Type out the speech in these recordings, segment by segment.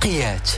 رقيقيات.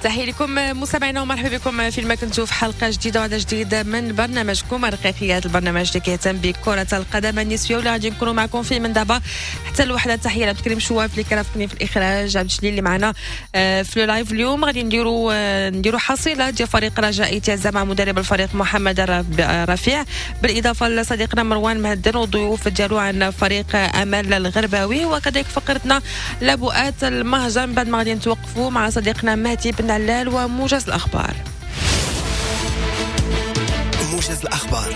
تحية لكم مستمعينا ومرحبا بكم في ما كنتوا في حلقة جديدة وعدد جديد من برنامجكم رقيقيات، البرنامج اللي كيهتم بكره القدم النسوية واللي غادي نكونوا معكم فيه من دابا حتى الوحدة. تحية لعبد الكريم شواف اللي كرافقني في الاخراج، عبد الجليل اللي معنا في live. اليوم غادي نديروا حصيله ديال فريق رجاء تازا مع مدرب الفريق محمد رفيع، بالاضافة لصديقنا مروان مهدن والضيوف ديالو عن فريق امل الغرباوي، وكذلك فقرتنا لبؤات المهجر. من بعد ما غادي نتوقفوا مع صديقنا مهدي بن علال وموجز الأخبار. موجز الأخبار.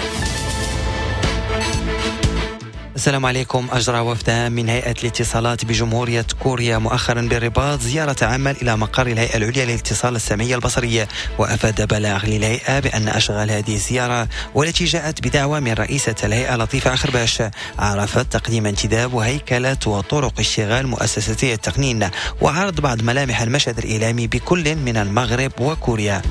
السلام عليكم. أجرى وفد من هيئة الاتصالات بجمهورية كوريا مؤخرا بالرباط زيارة عمل إلى مقر الهيئة العليا للاتصال السمعية البصرية، وأفاد بلاغ للهيئة بأن أشغال هذه الزيارة والتي جاءت بدعوة من رئيسة الهيئة لطيفة أخرباش عرفت تقديم انتداب وهيكلة وطرق اشتغال مؤسستي التقنين وعرض بعض ملامح المشهد الإعلامي بكل من المغرب وكوريا.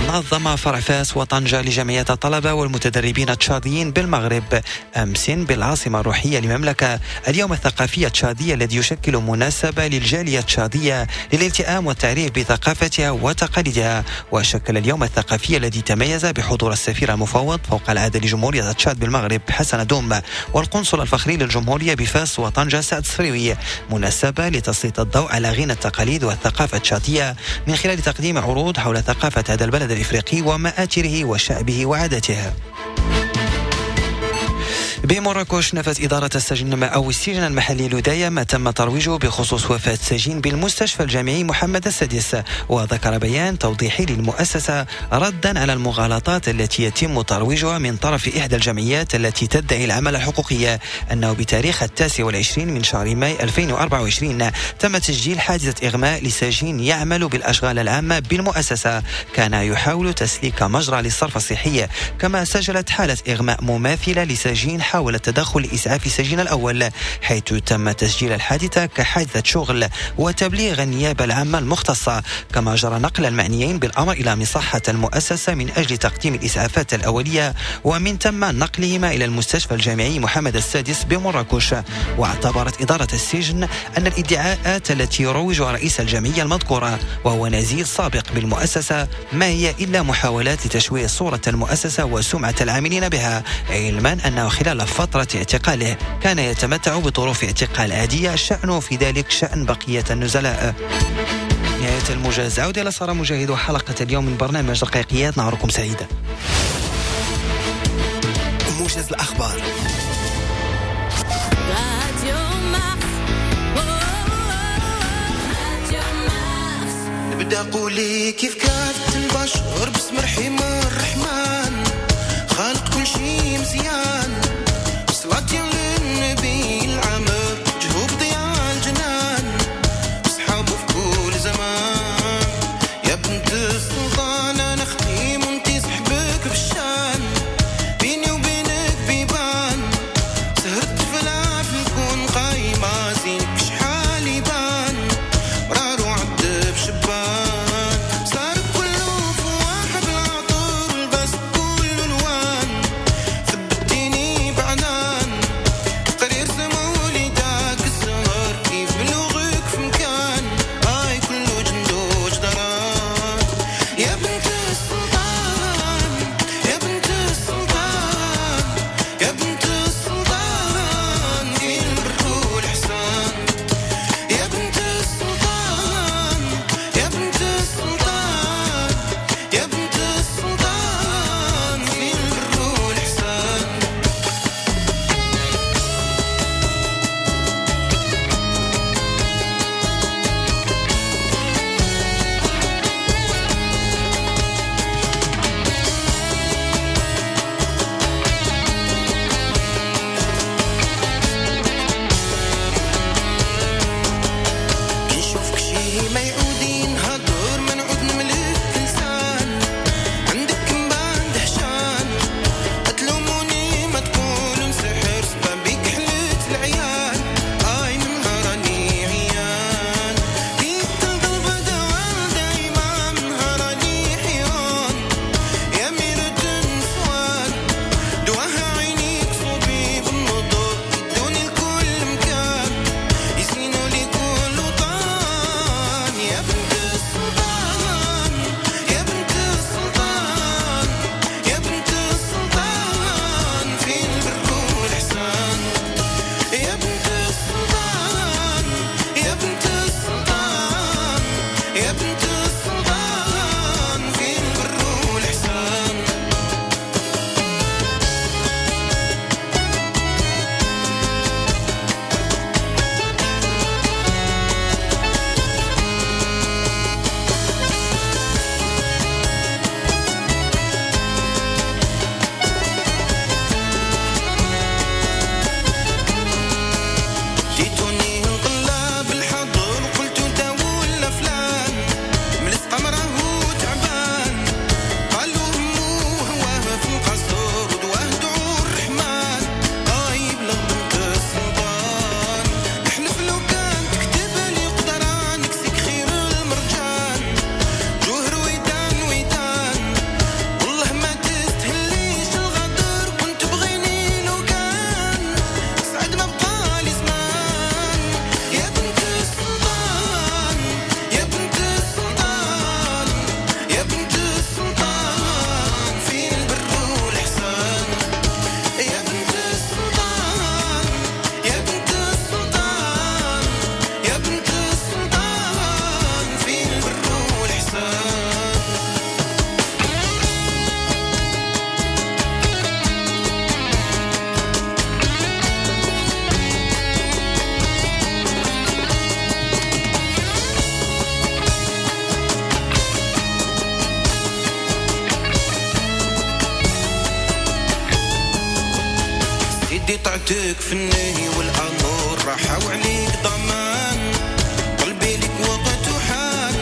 نظم فرع فاس وطنجة لجمعية الطلبة والمتدربين التشاديين بالمغرب أمس بالعاصمة الروحية للمملكة اليوم الثقافي التشادي الذي يشكل مناسبة للجالية التشادية للالتئام والتعريف بثقافتها وتقاليدها. وشكل اليوم الثقافي الذي تميز بحضور السفير المفوض فوق العادة لجمهورية تشاد بالمغرب حسن دوم والقنصل الفخري للجمهورية بفاس وطنجة سعد الصفريوي مناسبة لتسليط الضوء على غنى التقاليد والثقافة التشادية من خلال تقديم عروض حول ثقافة هذا البلد الإفريقي ومآثره وشعبه وعاداته. بمراكش نفت إدارة السجن أو السجن المحلي لوداية ما تم ترويجه بخصوص وفاة سجين بالمستشفى الجامعي محمد السادس، وذكر بيان توضيحي للمؤسسة ردا على المغالطات التي يتم ترويجها من طرف إحدى الجمعيات التي تدعي العمل الحقوقي أنه بتاريخ 29 من شهر ماي 2024 تم تسجيل حادثة إغماء لسجين يعمل بالأشغال العامة بالمؤسسة كان يحاول تسليك مجرى للصرف الصحي، كما سجلت حالة إغماء مماثلة لسجين حاول التدخل لإسعاف السجين الأول حيث تم تسجيل الحادثة كحادثة شغل وتبليغ النيابة العامة المختصة، كما جرى نقل المعنيين بالأمر إلى مصحة المؤسسة من أجل تقديم الإسعافات الأولية ومن ثم نقلهما إلى المستشفى الجامعي محمد السادس بمراكش. واعتبرت إدارة السجن أن الادعاءات التي يروجها رئيس الجمعية المذكورة وهو نزيل سابق بالمؤسسة ما هي إلا محاولات لتشويه صورة المؤسسة وسمعة العاملين بها، علما أنه خلال فترة اعتقاله كان يتمتع بظروف اعتقال عادية شأنه في ذلك شأن بقية النزلاء. نهاية الموجز، عودة إلى سارة مجاهد وحلقة اليوم من برنامج رقيقيات. نهاركم سعيدة. موجز الأخبار. نبدأ قولي كيف كانت البشر باسم رحيم الرحمن خالق كل شي مزيان صلاة للنبي العمر جهوب ضياء الجنان صحابه في كل زمان يا بنت السلطان انا اختي وانتي صحبك بالشان بيني وبينك بيبان سهرت في العافية نكون قايمة زينك شحال يبان مرار وعد بشبان صار كله فواح بالعطر البس كل الوان ثبتيني بعنان طعتك في النهي والامر راحة وعليك ضمان قلبي لك وقت وحان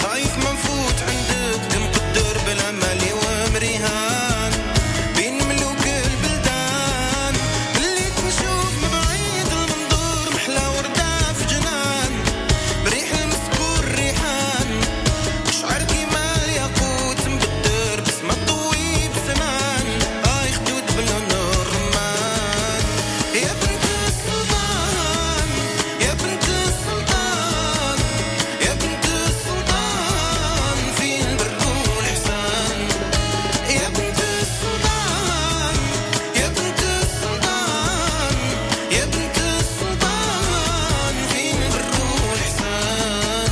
خايف ما نفوت عندك مقدر بلا مالي ومريهان بين ملوك البلدان اللي تنشوف من بعيد المنظور محلى وردة في جنان بريح المسكور ريحان شعر كيما الياقوت مبدر بسمة طويب سنان اي خدود بلون الرمان يا بنت السلطان يا بنت السلطان يا بنت السلطان في البر والإحسان يا بنت السلطان يا بنت السلطان يا بنت السلطان في البر والإحسان.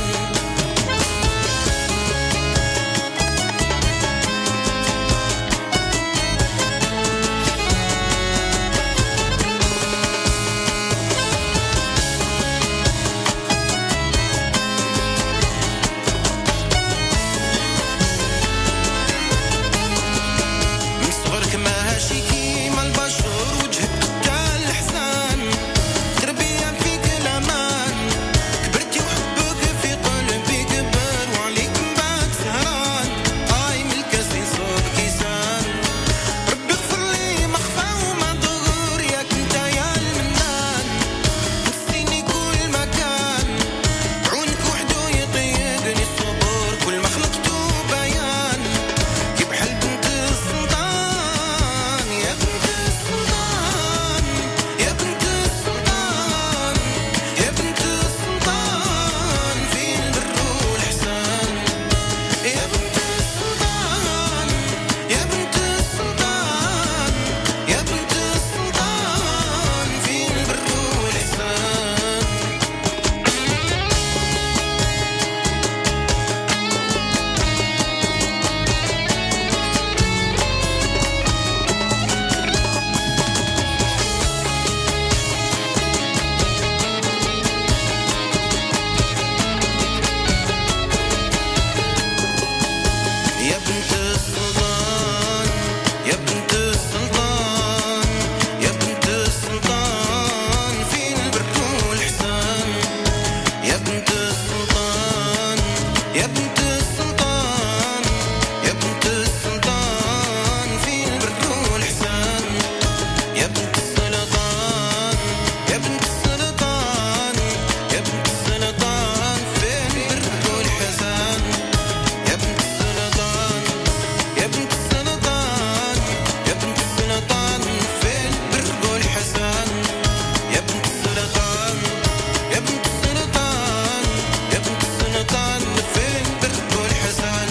من صغرك ماشي كيما البشر وجهك تاع الحسان تربية فيك الأمان كبرتي وحبك في قلبي كبر وعليك من بعد سهران قايم الكاس يصوب كيسان ربي اغفر لي ما خفى وما ظهر ياك انت يا المنان نسيني كل مكان عونك وحدو يطيقني الصبر كل ما خلقتو بيان كي بحال بنت السلطان يا بنت السلطان يا بنت السلطان يا بنت السلطان في البر والإحسان يا بنت السلطان يا بنت السلطان يا بنت السلطان في البر والإحسان. يا بنت السلطان يا بنت السلطان يا بنت السلطان في البر والإحسان يا بنت السلطان يا بنت السلطان يا بنت السلطان في البر والإحسان يا بنت السلطان يا بنت السلطان يا بنت السلطان في البر والإحسان يا بنت السلطان يا بنت السلطان يا بنت السلطان في البر والحسان يا بنت السلطان يا بنت السلطان يا بنت السلطان في البر والحسان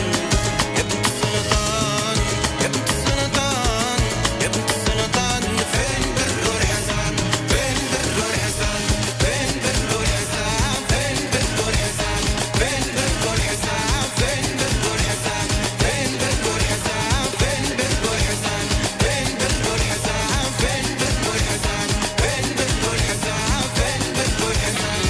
يا بنت السلطان يا بنت السلطان يا بنت السلطان في البر والحسان في البر والحسان في البر والحسان في البر والحسان في البر والحسان في البر والحسان في البر والحسان في البر والحسان في البر والحسان في البر والحسان في البر والحسان في البر والحسان.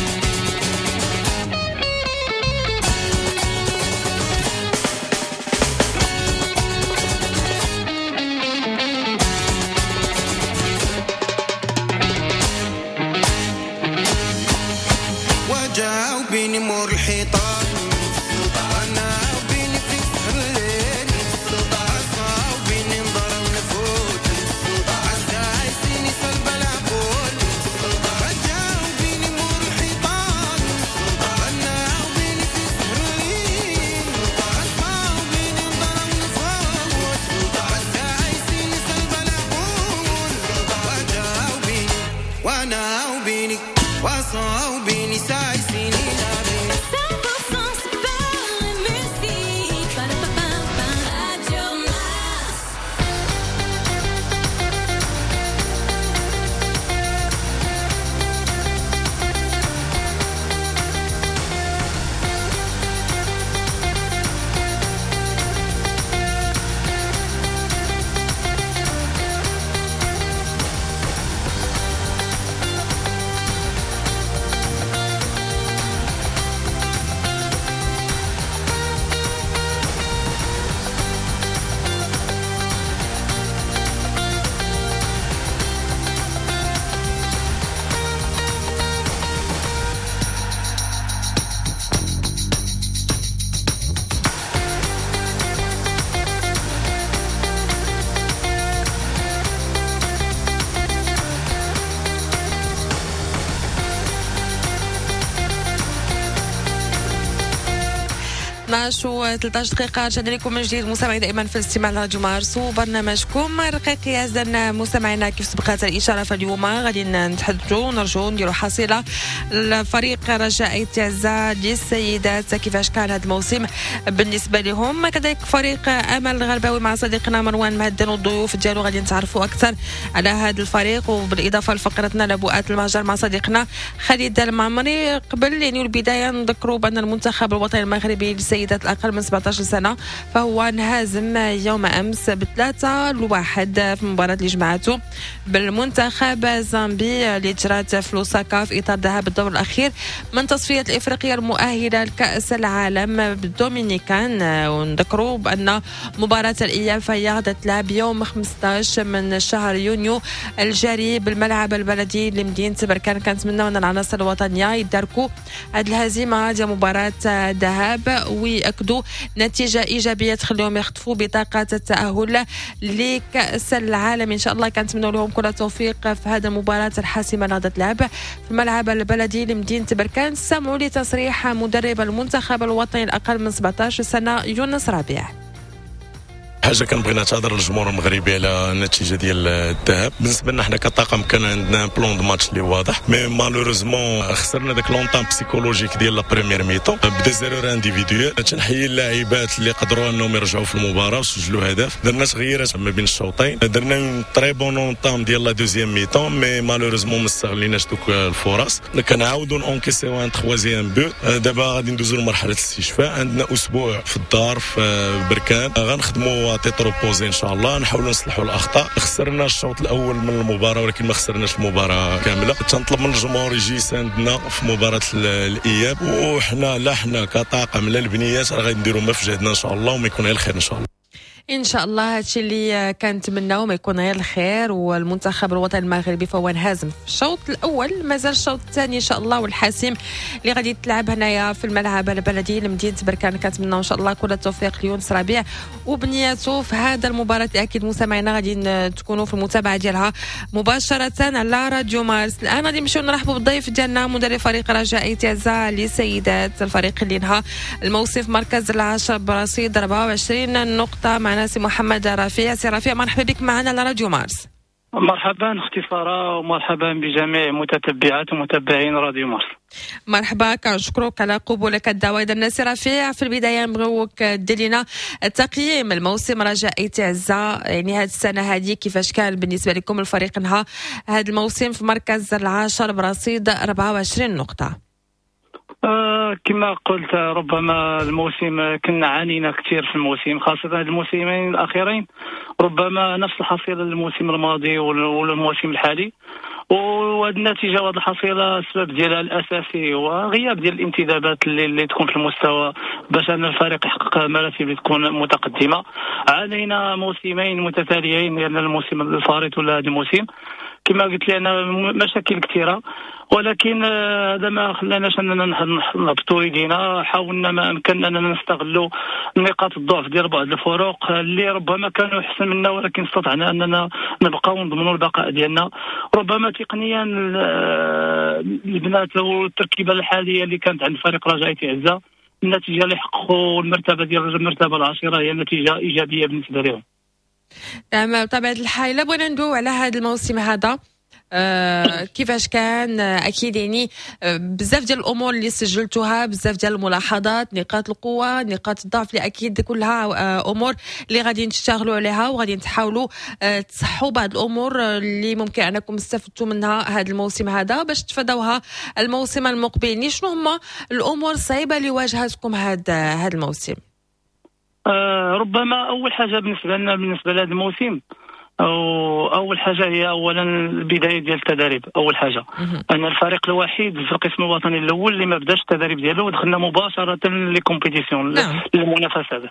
وجاوبيني مور الحيطان انا وبيني في سهر الليل عصاوبيني نضر ونفوت عسايسيني سلب العقول وجاوبيني مور الحيطان انا وبيني في سهر الليل عصاوبيني نضر ونفوت عسايسيني سلب العقول وجاوبيني وانا وبيني وصاوبيني سايسيني نابيني 100% super. 12 و13 دقيقة. رجعنا لكم من جديد مستمعي دائما في الاستماع لراديو مارس وبرنامجكم الرقيقي. أعزائنا مستمعينا، كيف سبقت الإشارة فاليوم غادي نتحدثوا ونرجعوا نديروا حصيلة الفريق رجاء آيت عزة للسيدات، كيفاش كان هذا الموسم بالنسبة لهم، كذلك فريق أمل الغرباوي مع صديقنا مروان مهدن والضيوف ديالو غادي نتعرفوا أكثر على هذا الفريق، وبالإضافة لفقرتنا لبؤات المهجر مع صديقنا خالد المعمري. قبل يعني البداية نذكروا بأن المنتخب الوطني المغربي للسيدات الأقل من 17 سنة فهو انهزم يوم أمس ب3-1 في مباراة اللي جمعته بالمنتخب الزامبي اللي جرات في لوساكا في إطار ذهاب الدور الأخير من تصفية الإفريقية المؤهلة لكأس العالم بالدومينيكان. ونذكروا بأن مباراة الإياب فهي غادي تلعب يوم 15 من شهر يونيو الجاري بالملعب البلدي لمدينة بركان. كنتمنى أن العناصر الوطنية يداركوا هذه الهزيمة ديال مباراة الذهاب ويأكدوا نتيجة إيجابية تخليهم يخطفوا بطاقة التأهل لكأس العالم إن شاء الله. كنتمنى لهم كل التوفيق في هذه المباراة الحاسمة اللي غادي تلعب في الملعب البلدي لمدينة بركان. سمعوا لتصريح مدرب المنتخب الوطني الأقل من 17 سنة يونس ربيع. حاجة كنبغي نعتذر للجمهور المغربي على النتيجة ديال الذهاب. بالنسبة لنا حنا كطاقم كان عندنا plan de match اللي واضح، mais malheureusement خسرنا داك l'entame psychologique ديال la première mi-temps ب des erreurs individuelles. تنحيي اللاعبات اللي قدروا انهم يرجعوا في المباراة وسجلوا هدف. درنا تغييرات ما بين الشوطين، درنا très bonne entame ديال la deuxième mi-temps، mais malheureusement ما استغليناش دوك الفرص. كنعاودوا نونكيسيو un troisième but. دابا غادي ندوزو لمرحلة الاستشفاء. عندنا اسبوع في الدار في بركان، غنخدموا tête reposée ان شاء الله، نحاولوا نصلحوا الاخطاء. خسرنا الشوط الاول من المباراة ولكن ما خسرناش المباراة كامله. تنطلب من الجمهور يجي يساندنا في مباراة الاياب، وحنا لا حنا كطاقم لا البنيات راه غادي نديروا ما في جهدنا ان شاء الله، وما يكون غير الخير ان شاء الله. ان شاء الله هادشي اللي كنتمناو، ما يكون غير الخير. والمنتخب الوطني المغربي فهو انهزم في الشوط الاول، مازال الشوط الثاني ان شاء الله والحاسم اللي غادي تلعب هنايا في الملعب البلدي لمدينة بركان. كنتمناو ان شاء الله كل التوفيق ليونس ربيع وبنياته في هذا المباراة. اكيد مستمعينا غادي تكونوا في المتابعة ديالها مباشرة على راديو مارس. الان غادي نمشيو نرحبوا بالضيف ديالنا مدرب فريق رجاء آيت عزة للسيدات، الفريق اللي انهى الموسم في مركز العاشر برصيد 24 نقطه. معنا سي محمد رفيع. سي رفيع، مرحبا بك معنا على راديو مارس. مرحبا اختي ساره، ومرحبا بجميع متتبعات ومتابعين راديو مارس. مرحبا، كنشكرك على قبولك الدعوه. اذا سي رفيع، في البداية نبغيوك دير لنا تقييم الموسم رجاء آيت عزة، يعني هذه السنة هذه كيفاش كان بالنسبة لكم؟ الفريق انهى هذا الموسم في مركز العاشر برصيد 24 نقطه. كما قلت، ربما الموسم كنا عانينا كثير في الموسم، خاصة الموسمين الأخيرين، ربما نفس الحصيلة الموسم الماضي والموسم الحالي. وهذه النتيجة وهذه الحصيلة السبب ديالها الأساسي هو غياب ديال الانتدابات اللي تكون في المستوى باش أن الفريق يحقق مراتب اللي تكون متقدمة. عانينا موسمين متتاليين، لأن الموسم الفارط ولا هذا الموسم كما قلت لي أنا مشاكل كثيرة، ولكن هذا ما خلاناش اننا نهبطوا يدينا. حاولنا ما امكن اننا نستغلوا نقاط الضعف ديال بعض الفرق اللي ربما كانوا احسن منا، ولكن استطعنا اننا نبقاو ونضمنوا البقاء ديالنا. ربما تقنيا البنات والتركيبه الحالية اللي كانت عند فريق رجاء آيت عزة، النتيجة اللي حققوا المرتبة ديال المرتبة العاشرة هي نتيجة ايجابية بالنسبة لهم. نعم، بطبيعة الحال. الا بغينا ندويو على هذا الموسم هذا كيفاش كان، اكيد يعني بزاف ديال الامور اللي سجلتوها، بزاف ديال الملاحظات، نقاط القوه، نقاط الضعف، اللي اكيد كلها امور اللي غادي تشتغلوا عليها وغادي تحاولوا تصحوا بعض الامور اللي ممكن انكم استفدتوا منها هذا الموسم هذا باش تفادوها الموسم المقبل. يعني شنو هما الامور الصعيبه اللي واجهتكم هذا الموسم؟ ربما اول حاجة بالنسبة لنا، بالنسبة لهذا الموسم، أو اول حاجة هي اولا البداية ديال التدريب. اول حاجة ان الفريق الوحيد في القسم الوطني الاول اللي ما بداش التدريب ديالو ودخلنا مباشرة les compétitions، للمنافسات.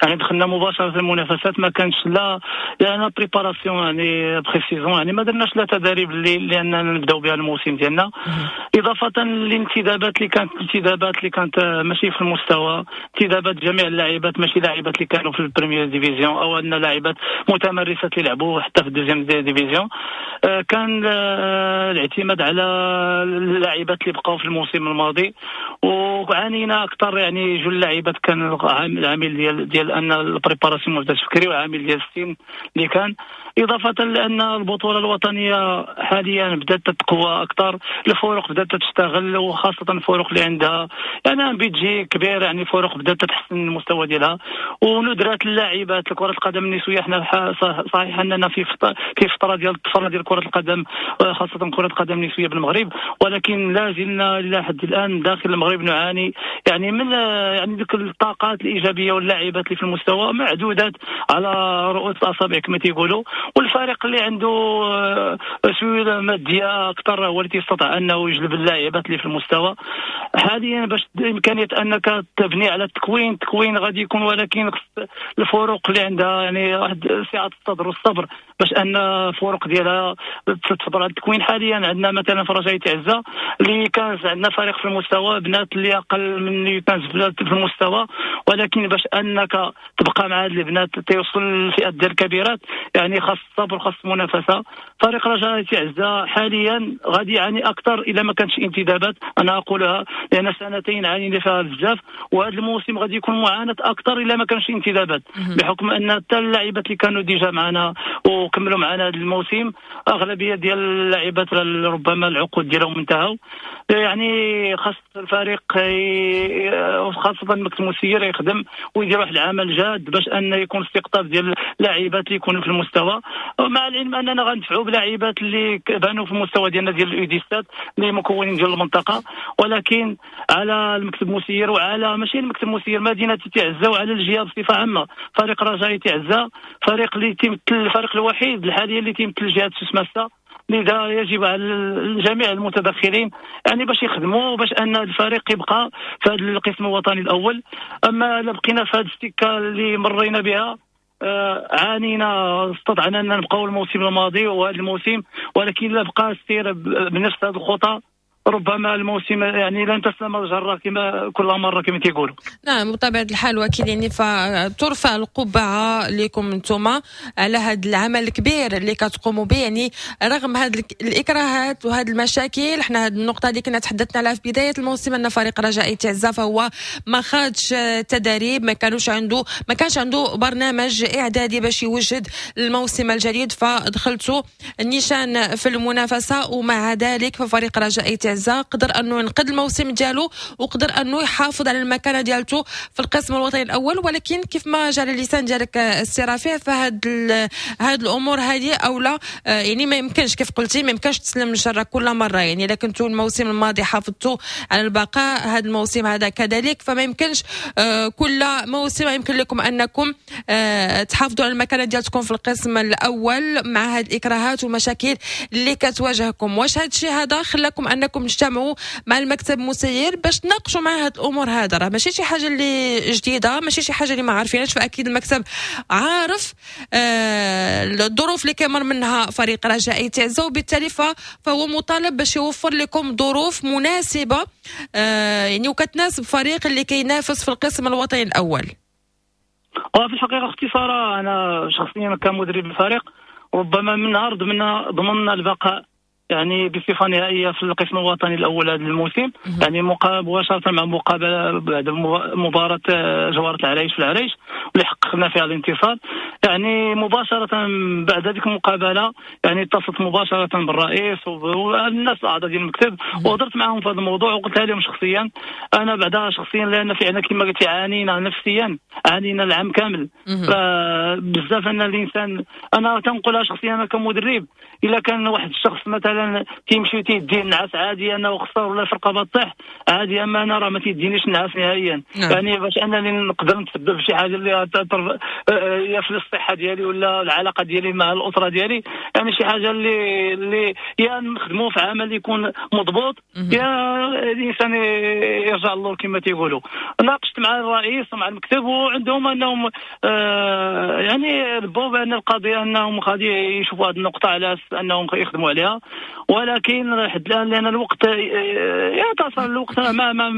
يعني دخلنا مباشرة المنافسات، ما كانش لا يعني préparation، يعني pré-saison، يعني ما درناش لا تدريب اللي لاننا نبداو بها الموسم ديالنا. اضافه للانتدابات اللي كانت، انتدابات اللي كانت ماشي في المستوى، انتدابات جميع اللاعبات ماشي لاعبات اللي كانوا في ال première division او ان لاعبات متمرسات اللي لعبوا. وحتى في ال deuxième division. كان الاعتماد على اللاعبات اللي بقاو في الموسم الماضي، وعانينا اكثر يعني جوج اللاعبات. كان العامل ديال ان ال préparation ما بداتش بكري، وعامل ديال السن اللي كان، اضافه لان البطولة الوطنية حاليا بدات تتقوى اكثر، الفرق بدات تشتغل، وخاصة الفرق اللي عندها يعني budget كبير، يعني الفرق بدات تحسن المستوى ديالها وندرات اللاعبات. كره القدم النسوية حنا صحيح اننا في فترة ديال الطفرة ديال كره القدم، خاصة كره القدم النسوية بالمغرب، ولكن لا زلنا الى حد الان داخل المغرب نعاني يعني من يعني ديك الطاقات الايجابية واللاعبات اللي في المستوى معدودات على رؤوس الاصابع كما تيقولوا. والفريق اللي عنده سهولة مادية اكثر هو اللي تيستطيع انه يجلب اللاعبات اللي في المستوى. حاليا باش امكانية انك تبني على التكوين، التكوين غادي يكون، ولكن الفرق اللي عندها يعني واحد سعة الصدر والصبر باش ان الفرق ديالها تصبر على التكوين. حاليا عندنا مثلا في رجاء تعزه اللي كان عندنا فريق في المستوى، بنات اللي اقل من اللي كان في المستوى، ولكن باش انك تبقى مع هاد البنات تيوصل للفئات ديال الكبيرات يعني خاص الصبر خاص المنافسة. فريق رجاء تعزه حاليا غادي يعاني اكثر الا ما كانش انتدابات، انا اقولها لان سنتين عانينا فيها بزاف، وهذا الموسم غادي يكون معاناة اكثر الا ما كانش انتدابات، بحكم ان حتى اللاعبات اللي كانوا déjà معنا وكملوا معنا هذا الموسم اغلبية ديال اللاعبات ربما العقود ديالهم انتهوا. يعني خاص الفريق خاصة المكتب المسير يخدم ويدير واحد العمل جاد باش ان يكون استقطاب ديال اللاعبات اللي يكونوا في المستوى، مع العلم اننا غندفعوا بلاعبات اللي بانوا في المستوى ديالنا ديال ال U 17 اللي مكونين ديال المنطقة، ولكن على المكتب المسير وعلى ماشي المكتب المسير مدينة تعزه وعلى الجهة بصفة عامة. فريق رجاء تعزه فريق اللي تيمثل الفريق الوحيد حاليا اللي تيمثل جهة سوس، لذا يجب على الجميع المتدخلين يعني باش يخدموا باش ان الفريق يبقى في هذا القسم الوطني الاول. اما الا بقينا في هذه السكة اللي مرينا بها عانينا، استطعنا ان نبقاو الموسم الماضي وهذا الموسم، ولكن الا بقى السير بنفس هذه الخطى ربما الموسم يعني لن تسلم الجرة كما كل مرة كما تيقولوا. نعم بطبيعة الحال، وأكيد يعني فترفع القبعة لكم انتم على هذا العمل الكبير اللي كتقوموا به، يعني رغم هذه الإكراهات وهذه المشاكل. احنا هذه النقطة اللي كنا تحدثنا عليها في بداية الموسم أن فريق رجاء تعزة فهو ما خادش تدريب، ما كانش عنده برنامج إعدادي باش يوجد الموسم الجديد، فدخلتوا النيشان في المنافسة، ومع ذلك ففريق رجاء تعزة قدر انه ينقذ الموسم ديالو وقدر انه يحافظ على المكانة ديالته في القسم الوطني الاول. ولكن كيف ما جا على اللسان ديالك السي رفيع، فهاد هاد الامور هذه اولا يعني ما يمكنش كيف قلتي ما يمكنش تسلم الجرة كل مرة، يعني الا كنتوا الموسم الماضي حافظتوا على البقاء، هذا الموسم هذا كذلك، فما يمكنش كل موسم يمكن لكم انكم تحافظوا على المكانة ديالتكم في القسم الاول مع هاد الاكراهات والمشاكل اللي كتواجهكم. واش هاد الشيء هذا خلاكم انكم تجتمعوا مع المكتب المسير باش تناقشوا مع هاد الامور هذا؟ راه ماشي شي حاجة اللي جديدة، ماشي شي حاجة اللي ما عارفينهاش، فاكيد المكتب عارف الظروف اللي كيمر منها فريق رجاء تعزة، وبالتالي فهو مطالب باش يوفر لكم ظروف مناسبة يعني وكتناسب فريق اللي كينافس في القسم الوطني الاول. وفي الحقيقة اختي ساره، انا شخصيا كمدرب الفريق ربما من نهار ضمننا البقاء يعني بصفة نهائية في القسم الوطني الاول هذا الموسم، يعني مباشرة مع مقابله بعد مباراة جوهره العريش في العريش واللي حققنا فيها الانتصار، يعني مباشرة بعد هذيك المقابلة يعني اتصلت مباشرة بالرئيس والناس الاعضاء ديال المكتب وهضرت معهم في هذا الموضوع وقلتها لهم شخصيا. انا بعدها شخصيا لان فعلا كما قلت عانينا نفسيا، عانينا العام كامل بزاف. ان الانسان انا تنقولها شخصيا انا كمدرب، الا كان واحد الشخص مثلا تيمشي تيدي النعاس عادي انه خسر ولا الفرقة بطيح عادي، اما انا راه ما تيدينيش النعاس نهائيا. يعني باش انني نقدر نتسبب في شي حاجة اللي يا في الصحة ديالي ولا العلاقة ديالي مع الاسرة ديالي، يعني شي حاجة اللي يا نخدموا في عمل يكون مضبوط يا الانسان يرجع للور كما تيقولوا. ناقشت مع الرئيس ومع المكتب وعندهم انهم يعني ربوا بان القضية انهم غادي يشوفوا هذه النقطة على انهم يخدموا عليها، ولكن لحد الان لان الوقت يتصل الوقت ما ما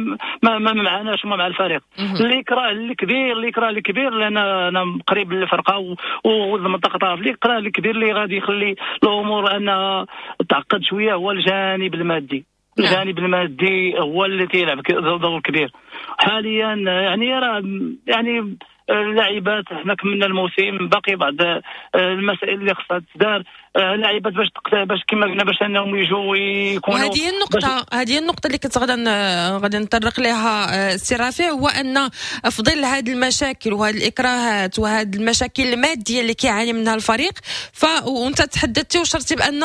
ما, ما معناش مع الفريق. اللي كراه الكبير، اللي كراه الكبير، لان انا قريب للفرقة والمنطقة طرف الاكراه الكبير اللي غادي يخلي الامور انها تعقد شوية هو الجانب المادي. الجانب المادي هو اللي تيلعب دور كبير حاليا. يعني راه يعني اللاعبات حنا كملنا الموسم، باقي بعض المسائل اللي خصها تدار. اللاعبات باش كما قلنا باش انهم يجوا ويكونوا. وهذه النقطة، هذه النقطة اللي كنت غادي نطرق لها السي رافع، هو ان في ظل هذه المشاكل وهذه الاكراهات وهذه المشاكل المادية اللي كيعاني منها الفريق، وانت تحدثتي وشرتي بان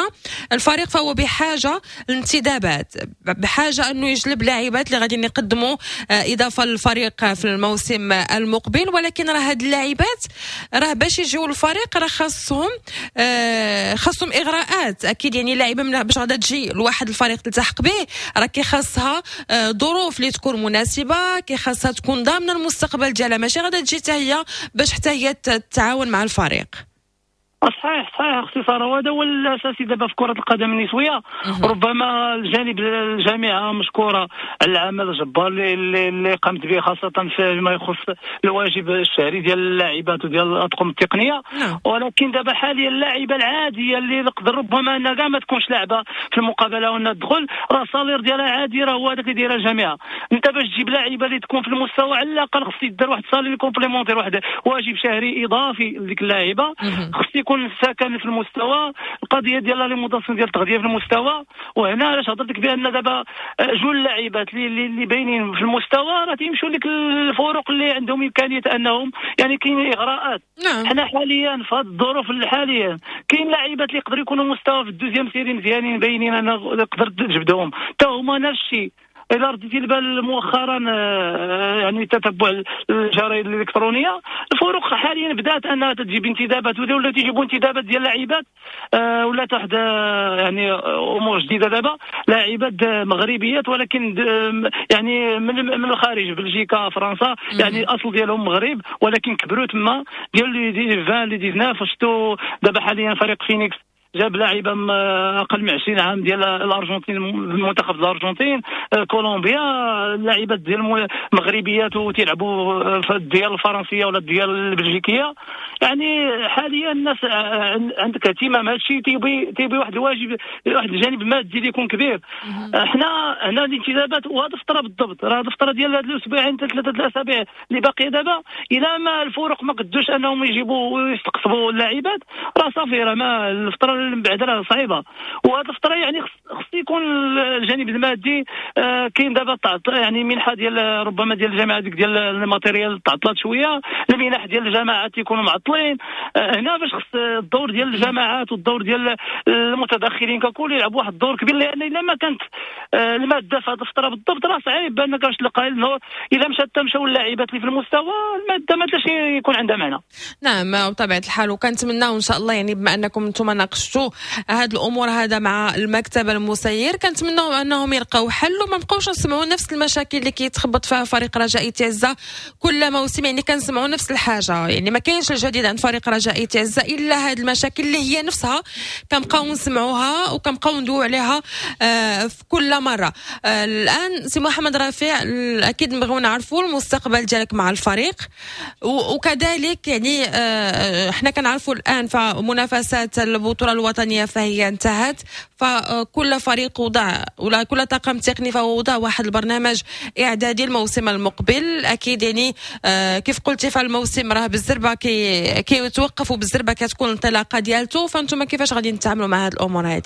الفريق فهو بحاجة لانتدابات، بحاجة انه يجلب لاعبات اللي غادي يقدموا اضافه للفريق في الموسم المقبل. ولكن راه هاد اللاعبات راه باش يجيو للفريق راه خاصهم اغراءات اكيد. يعني لاعبه من باش غادا تجي لواحد الفريق تلتحق به راه كيخاصها ظروف اللي تكون مناسبة، كيخاصها تكون ضامنه المستقبل ديالها، ماشي غادا تجي حتى هي باش حتى هي تتعاون مع الفريق. صحيح صحيح اختي ساره، وهذا هو الاساسي دابا في كره القدم النسوية. ربما الجانب الجامعة مشكورة على العمل الجبار اللي قامت به، خاصة فيما يخص الواجب الشهري ديال اللاعبات وديال الاطقم التقنية. ولكن دابا حاليا اللاعبه العادية اللي نقدر ربما انها كاع ما تكونش لاعبه في المقابلة وانها تدخل، راه ال salaire ديالها عادي، راه هو هذاك اللي دايرها الجامعة. انت باش تجيب لاعبه اللي تكون في المستوى على الاقل خص يدير واحد salaire complémentaire، واحد واجب شهري اضافي لديك اللاعبه، خص يكون السكن في المستوى، القضية ديال l'alimentation ديال التغذية في المستوى. وهنا علاش هضرت لك بان دابا جوج اللاعبات اللي باينين في المستوى راه تيمشوا لك الفرق اللي عندهم امكانية انهم يعني كاين اغراءات. حنا حاليا في هذه الظروف الحالية كاين لاعبات اللي يقدروا يكونوا مستوى في ال deuxième série مزيانين باينين، انا نقدر تجبدهم حتى هما نفس الشيء. الى رديتي البال مؤخرا يعني تتبع الجرائد الالكترونية، الفرق حاليا بدات انها تجيب انتدابات، ولا تجيبوا انتدابات ديال لاعبات، ولا واحد يعني امور جديدة دابا، لاعبات مغربيات ولكن يعني من الخارج، بلجيكا، فرنسا، يعني الاصل ديالهم مغرب ولكن كبروا تما، ديال les 20 les 19. شفتوا دابا حاليا فريق فينيكس جاب لاعبه اقل من 20 عام ديال الارجنتين، المنتخب الارجنتين، كولومبيا، لاعبات ديال مغربيات وتيلعبوا في الديار الفرنسية ولا الديار البلجيكيه. يعني حاليا الناس عندك اهتمام، هذا الشيء تيبي واحد الواجب، واحد الجانب مادي اللي يكون كبير. حنا هنا الانتدابات وهذه الفترة بالضبط، راه هذه الفترة ديال هاد الاسبوعين ثلاثة الاسابيع اللي باقية دابا، الى ما الفرق ما قدوش انهم يجيبوا ويستقطبوا اللاعبات راه صافي، راه ما الفترة من بعد راه صعيبة. وهذه الفترة يعني خص يكون الجانب المادي. كاين دابا يعني منحه ديال ربما ديال الجامعة ديك ديال ال matériel تعطلات شوية، المنح ديال الجامعات تيكونوا معطلين. هنا باش خص الدور ديال الجامعات والدور ديال المتدخلين ككل يلعبوا واحد الدور كبير، لان الا ما كانت المادة في هذه الفترة بالضبط راه صعيب بانك باش تلقى الا مشات مشاو اللاعبات اللي في المستوى، المادة ما تلاش يكون عندها معنى. نعم بطبيعة الحال، وكنتمناو ان شاء الله يعني بما انكم انتم ناقشتوا هاد الامور هذا مع المكتب المسير، كنتمناو انهم يلقاو حل وما نبقاوش نسمعوا نفس المشاكل اللي كيتخبط فيها فريق رجاء تعزة كل موسم. يعني كنسمعوا نفس الحاجة، يعني ما كاينش الجديد عند فريق رجاء تعزة الا هاد المشاكل اللي هي نفسها كنبقاو نسمعوها وكنبقاو ندويو عليها في كل مرة. الان سي محمد رفيع، اكيد نبغيو نعرفوا المستقبل ديالك مع الفريق، وكذلك يعني حنا كنعرفوا الان فمنافسات البطولة الوطنية فهي انتهت، فكل فريق وضع ولا كل طاقم تقني فهو وضع واحد البرنامج اعدادي الموسم المقبل. اكيد يعني كيف قلتي فالموسم راه بالزربه كيتوقف وبالزربه كتكون الانطلاقة ديالته، فانتم كيفاش غادي نتعاملوا مع هذه الامور هذه؟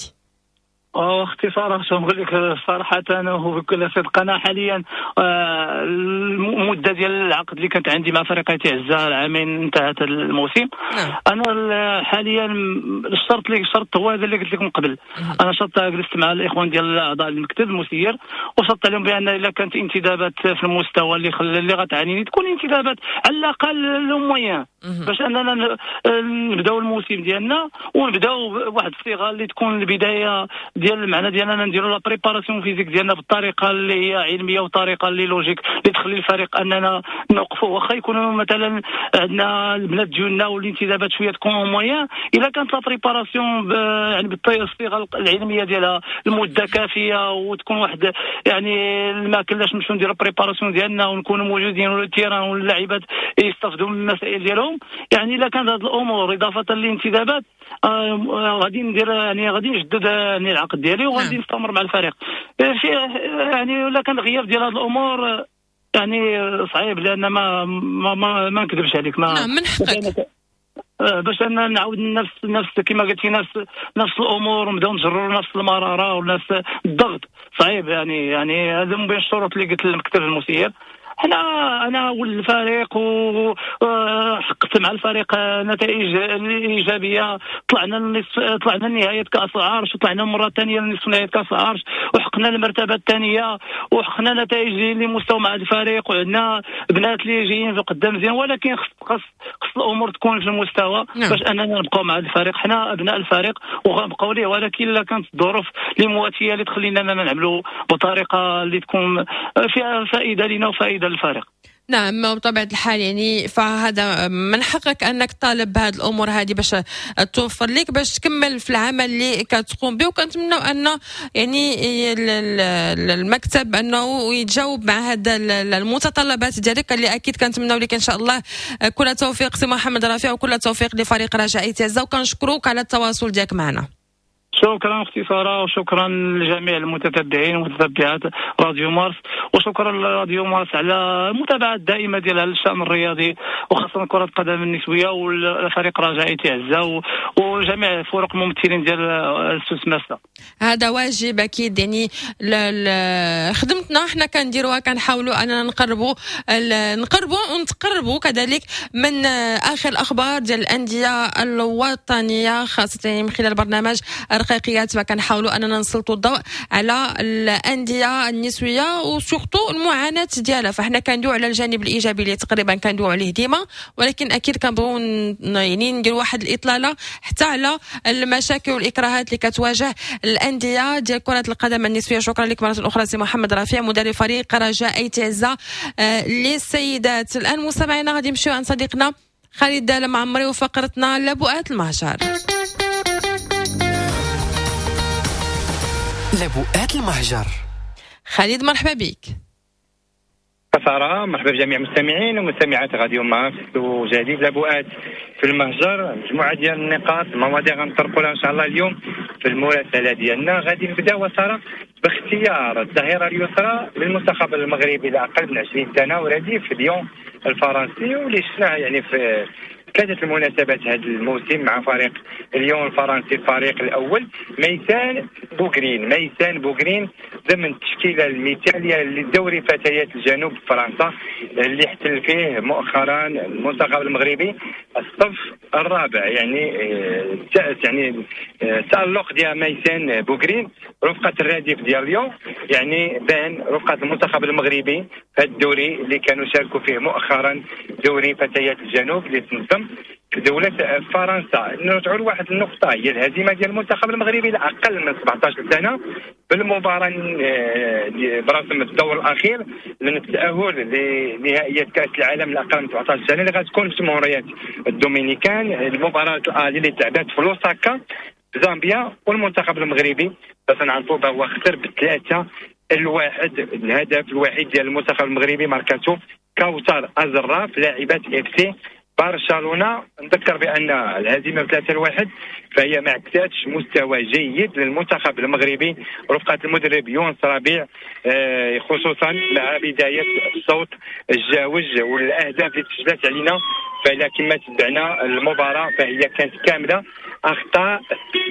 اختي ساره، شنو نقول لك صراحة انا وبكل صدق، انا حاليا المدة ديال العقد اللي كانت عندي مع فريق تعزة العامين انتهت الموسم. انا حاليا الشرط اللي شرط هو هذا اللي قلت لكم قبل. انا شرط جلست مع الاخوان ديال اعضاء المكتب المسير وشرطت عليهم بان الا كانت انتدابات في المستوى اللي غتعنيني تكون انتدابات على الاقل le moyen باش اننا نبداو الموسم ديالنا ونبداو بواحد الصيغة اللي تكون البداية ديال المعنى ديالنا نديروا la préparation physique ديالنا بالطريقة اللي هي علمية وطريقه اللي logique اللي تخلي الفريق اننا نوقفوا، واخا يكونوا مثلا عندنا البنات ديالنا والانتدابات شوية تكون moyen، الا كانت la préparation يعني بالصيغه العلمية ديالها المدة كافيه وتكون واحد يعني الماكلة باش نمشيو نديروا préparation ديالنا ونكونوا موجودين ولا ال terrain واللاعبات يستافدوا من المسائل ديالهم. يعني الا كانت هذه الامور اضافه للانتدابات غادي ندير يعني غادي نجدد يعني العقد ديالي وغادي نستمر مع الفريق. في يعني الا كان غياب ديال هذه الامور يعني صعيب، لان ما ما ما, ما نكذبش عليك ما نعم من حقك باش ان نعاود نفس كما قلتي نفس الامور ونبداو نجروا نفس المرارة ونفس الضغط صعيب. يعني هذا من بين الشروط اللي قلت للمكتب المسير. حنا انا ولد الفريق وحققت مع الفريق نتائج ايجابية، طلعنا لنهاية كاس العرش وطلعنا مرة ثانية لنصف نهائي كاس العرش وحققنا المرتبة الثانية وحققنا نتائج اللي مستوى مع الفريق، وعندنا بنات اللي جايين في قدام مزيان، ولكن خص الامور تكون في المستوى باش اننا نبقاو مع الفريق. حنا ابناء الفريق وغنبقاو ليه، ولكن الا كانت الظروف اللي مواتيه اللي تخلينا اننا نعملوا بطريقة اللي تكون فيها فائدة لنا وفائدة للفريق. نعم بطبيعة الحال، يعني فهذا من حقك أنك طالب بهذه الأمور هذه باش توفر لك باش تكمل في العمل اللي كتقوم به، وكنتمنوا أن يعني المكتب أنه يتجاوب مع هذا المتطلبات ديالك اللي أكيد كنتمنوا لك إن شاء الله كل توفيق سي محمد رفيع وكل توفيق لفريق رجاء آيت عزة، وكنشكروك على التواصل ديالك معنا. شكرا اختي ساره، وشكرا لجميع المتتبعين ومتتبعات راديو مارس، وشكرا لراديو مارس على المتابعة الدائمة ديالها للشان الرياضي وخاصة كره القدم النسوية والفريق رجاء آيت عزة وجميع فرق الممثلين ديال السوس ماسا. هذا واجب اكيد، يعني خدمتنا حنا كنديروها، كنحاولوا اننا نقربوا ونتقربوا كذلك من اخر الاخبار ديال الاندية الوطنية، خاصة من خلال برنامج رقيقيات، فكنحاولوا اننا نسلطوا الضوء على الاندية النسوية و surtout المعاناة ديالها. فاحنا كندويو على الجانب الايجابي اللي تقريبا كندويو عليه ديما، ولكن اكيد كنبغيو يعني نديروا واحد الاطلاله حتى على المشاكل والاكراهات اللي كتواجه الاندية ديال كره القدم النسوية. شكرا لك مرة اخرى سي محمد رفيع مدرب فريق رجاء آيت عزة للسيدات. الان مستمعينا غادي نمشيو عند صديقنا خالد المعمري وفقرتنا لبؤات المهجر. لبؤات المهجر. خالد مرحبا بك. سارة مرحبا بجميع المستمعين ومستمعات راديو مارس وجديد لبؤات في المهجر. مجموعة ديال النقاط المواضيع غنطرقوا لها ان شاء الله اليوم في المراسله ديالنا. غادي نبداو سارة باختيار الظهيرة اليسرى للمنتخب المغربي لاقل من 20 سنة ورديف ليون الفرنسي، واللي شفناه يعني في ثلاثة المناسبات هذا الموسم مع فريق ليون الفرنسي الفريق الأول ميسان بوغرين. ميسان بوغرين ضمن التشكيلة المثالية لدوري فتيات الجنوب فرنسا اللي احتل فيه مؤخرا المنتخب المغربي الصف الرابع، يعني التألق ديال ميسان بوغرين رفقة الرديف ديال ليون، يعني بان رفقة المنتخب المغربي في الدوري اللي كانوا شاركوا فيه مؤخرا دوري فتيات الجنوب اللي تنظم في دولة فرنسا. نرجعوا لواحد النقطة هي الهزيمة ديال المنتخب المغربي لأقل من 17 سنة بالمباراة برسم الدور الأخير من التأهل لنهائيات كأس العالم لأقل من 17 سنة اللي غتكون في جمهورية الدومينيكان. المباراة اللي تلعبات في لوساكا زامبيا، والمنتخب المغربي باش نعرفوا هو خسر ب3-1. الهدف الوحيد ديال المنتخب المغربي ماركاتو كوثر أزراف لاعبات اف سي برشلونة. نذكر بان الهزيمة 3-1 فهي ما عكستش مستوى جيد للمنتخب المغربي رفقه المدرب يونس ربيع، خصوصا مع بداية الصوت الجاوج والاهداف اللي تسجلت علينا. فلا كما تبعنا المباراة فهي كانت كاملة اخطاء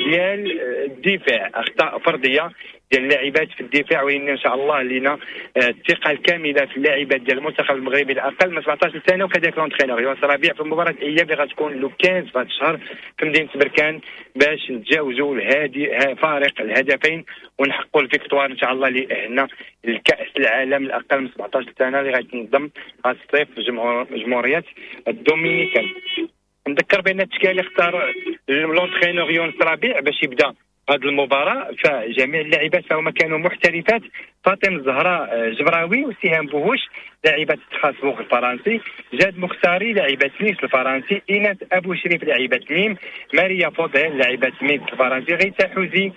ديال الدفاع، اخطاء فردية ديال اللاعبات في الدفاع، وإن شاء الله لنا الثقة الكاملة في اللاعبات ديال المنتخب المغربي الاقل من 17 سنة، وكذلك l'entraîneur يونس ربيع في المباراة الاياب اللي غتكون le 15 في هذا الشهر في مدينة بركان باش نتجاوزوا الهادي فارق الهدفين ونحققوا ال victoire ان شاء الله اللي لكاس العالم الاقل من 17 سنة اللي غتنظم هذا الصيف في جمهورية الدومينيكان. نذكر بان التشكيلة اللي اختار l'entraîneur يونس ربيع باش يبدا هذه المباراة فجميع اللاعبات فهما كانوا محترفات، فاطمة الزهراء جبراوي وسهام بوهوش لاعبه ستراسبورغ الفرنسي، جاد مختاري لاعبه نيس الفرنسي، ايناس ابو شريف لاعبه نيم، ماريا فوضيل لاعبه ميتز الفرنسي، غيتا حوزي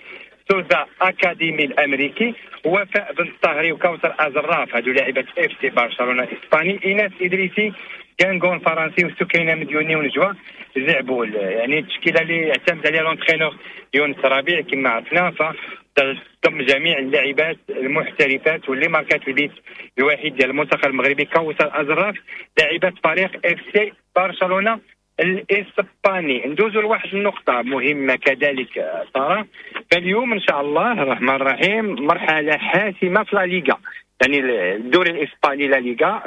سوزا اكاديمي الامريكي، وفاء بن الطاهري وكوثر ازراف هادو لاعبه اف سي برشلونة الاسباني، ايناس ادريسي كانغون فرنسي، وسكينة مديوني ونجوى زعبول. يعني التشكيلة اللي اعتمد عليها l'entraîneur يونس ربيع كما عرفنا، فتضم جميع اللاعبات المحترفات واللي ماركات البيت الوحيد ديال المنتخب المغربي كوثر ازراف لاعبات فريق اف سي برشلونة الاسباني. ندوزو لواحد النقطة مهمة كذلك ساره، فاليوم ان شاء الله الرحمن الرحيم مرحلة حاسمة في لا ليغا، يعني الدوري الاسباني لا ليغا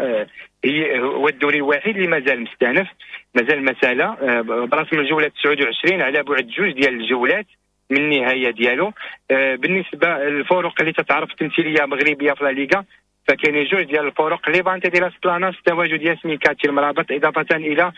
هو الدوري الوحيد اللي مازال مستأنف، مازال مسالة برسم الجولة 29 على بعد جوج ديال الجولات من النهاية ديالو. بالنسبة للفرق اللي تتعرف تمثيلية مغربية في لا ليغا فكاين جوج ديال الفرق، ليفانتي ديال لاس بلاناس تواجد ياسمين كاتي المرابط اضافه الى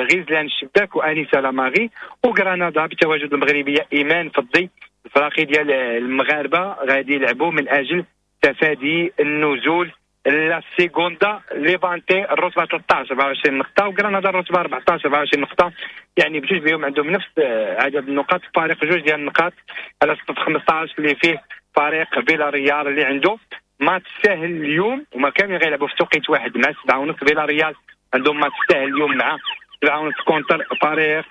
غزلان الشباك وانيسه لاماغي، وغرناطه بتواجد المغربية ايمان فضي. الفراقي ديال المغاربة غادي يلعبوا من اجل تفادي النزول. لا سيغوندا ليفانتي الرتبة 13 24 نقطة، وغرناطه الرتبة 14 24 نقطة، يعني بجوج بهم عندهم نفس عدد النقاط، فارق جوج ديال النقاط على 15 اللي فيه فريق فيلاريال اللي عنده ماتش ساهل اليوم، وما كانوا غيلعبوا في توقيت واحد مع 7:30. فيلاريال عندهم ماتش ساهل اليوم مع 7:30 contre فريق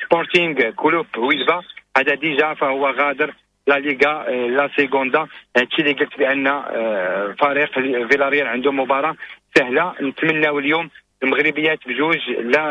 سبورتينغ كلوب ويلفا، هذا déjà فهو غادر لا ليغا لا سيغوندا. هادشي اللي قلت بان فريق فيلاريال عنده مباراة سهلة. نتمناو اليوم المغربيات بجوج، لا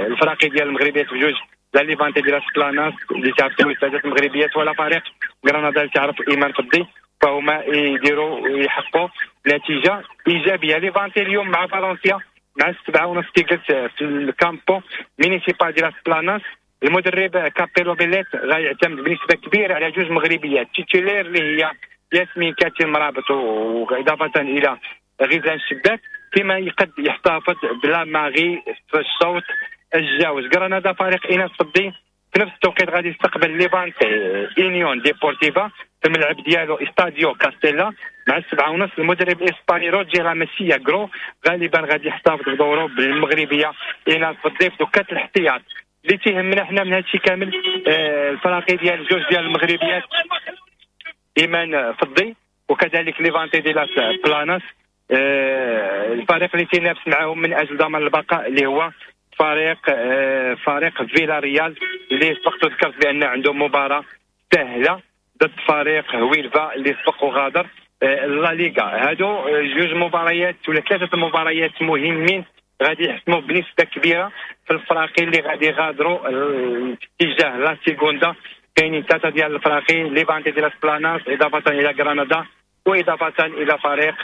الفراقي ديال المغربيات بجوج، لا ليفانتي ديال لاس بلاناس اللي تعرف الثلاث المغربيات، ولا فريق غرناطة اللي تعرف ايمان فضي، فهما يديروا يحققوا نتيجة ايجابية. ليفانتي اليوم مع فالنسيا مع 7:30 كي قلت في الكامبو مينيسيبال ديال لاس بلاناس. المدرب كابيلو بيليت غيعتمد بنسبة كبيرة على جوج مغربيات titulaires اللي هي ياسمين كاتي المرابط واضافه الى غزلان الشباك، فيما يقد يحتفظ بلا ماغي في الشوط الجاوز. غرناطة فريق ايناس فضي في نفس التوقيت غادي يستقبل ليفانتي انيون ديبورتيفا في الملعب ديالو استاديو كاستيلا مع 7:30. المدرب الاسباني روجي لاماسيا غرو غالبا غادي يحتفظ بدوره بالمغربيه ايناس فضي في دكات الاحتياط. اللي تيهمنا حنا من هادشي كامل الفراقي ديال جوج ديال المغربيات ايمان فضي وكذلك ليفانتي دي لاس بلاناس، الفريق اللي تينافس معاهم من اجل ضمان البقاء اللي هو فريق فيلاريال اللي سبقت ذكرت بان عنده مباراة سهلة ضد فريق هويلفا اللي سبق وغادر لا ليغا. هادو جوج مباريات ولا ثلاثة مباريات مهمين غادي يحسموا بنسبة كبيرة في الفراقي اللي غادي يغادروا اتجاه لا سيغوندا. كاينين ثلاثة ديال الفراقي، ليفانتي ديال لاس بلاناس اضافه الى غرناطة واضافه الى فريق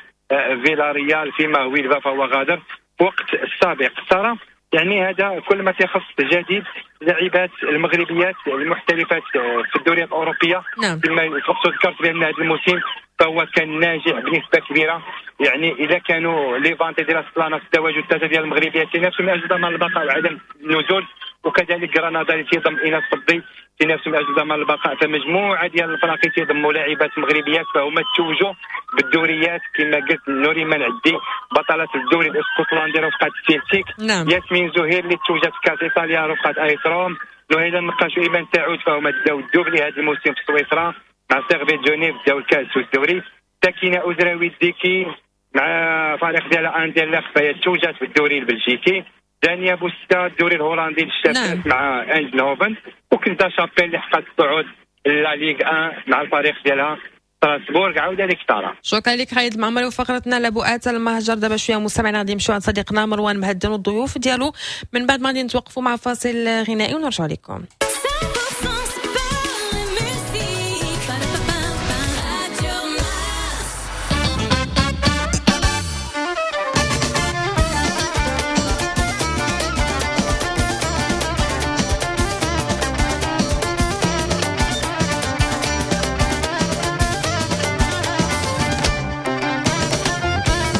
فيلاريال، فيما هويلفا فهو غادر في وقت السابق. ساره يعني هذا كل ما تيخص جديد لاعبات المغربيات المحترفات في الدوريات الاوروبية. نعم. كما سبقت ذكرت بان هذا الموسم فهو كان ناجح بنسبة كبيرة، يعني اذا كانوا ليفانتي ديال لاس بلاناس تواجد ثلاثة ديال المغربيات تينافسوا من اجل ضمان البقاء وعدم النزول، وكذلك غرناطة اللي تيضم ايناس فضي تينافسوا من اجل ضمان البقاء. فمجموعه ديال الفراقي تيضموا لاعبات مغربيات فهما توجوا بالدوريات كما قلت، نوريمان عدي بطلة الدوري الاسكتلندي رفقه السيلتيك، نعم. ياسمين زهير اللي توجت في كاس ايطاليا رفقه ايس روم، نهيلة النقاش وايمان سعود فهما داو ال doublé هذا الموسم في سويسرا مع سيرفيت جنيف داو الكاس والدوري، ساكنة ازراوي الديكي مع فريق ديالها اندرلخت فهي توجت في الدوري البلجيكي، دانيا بوستا الدوري الهولندي للشابات، نعم. مع اندلهوفن، وكنزا شابيل اللي حققت الصعود لا ليغ 1 مع الفريق ديالها ستراسبورغ. عاود لك ساره. شكرا لك خالد المعمري وفقرتنا لبؤات المهجر. دابا شوية مستمعينا غادي نمشيو عند صديقنا مروان مهدن والضيوف ديالو، من بعد ما غادي نتوقفوا مع فاصل غنائي ونرجع لكم.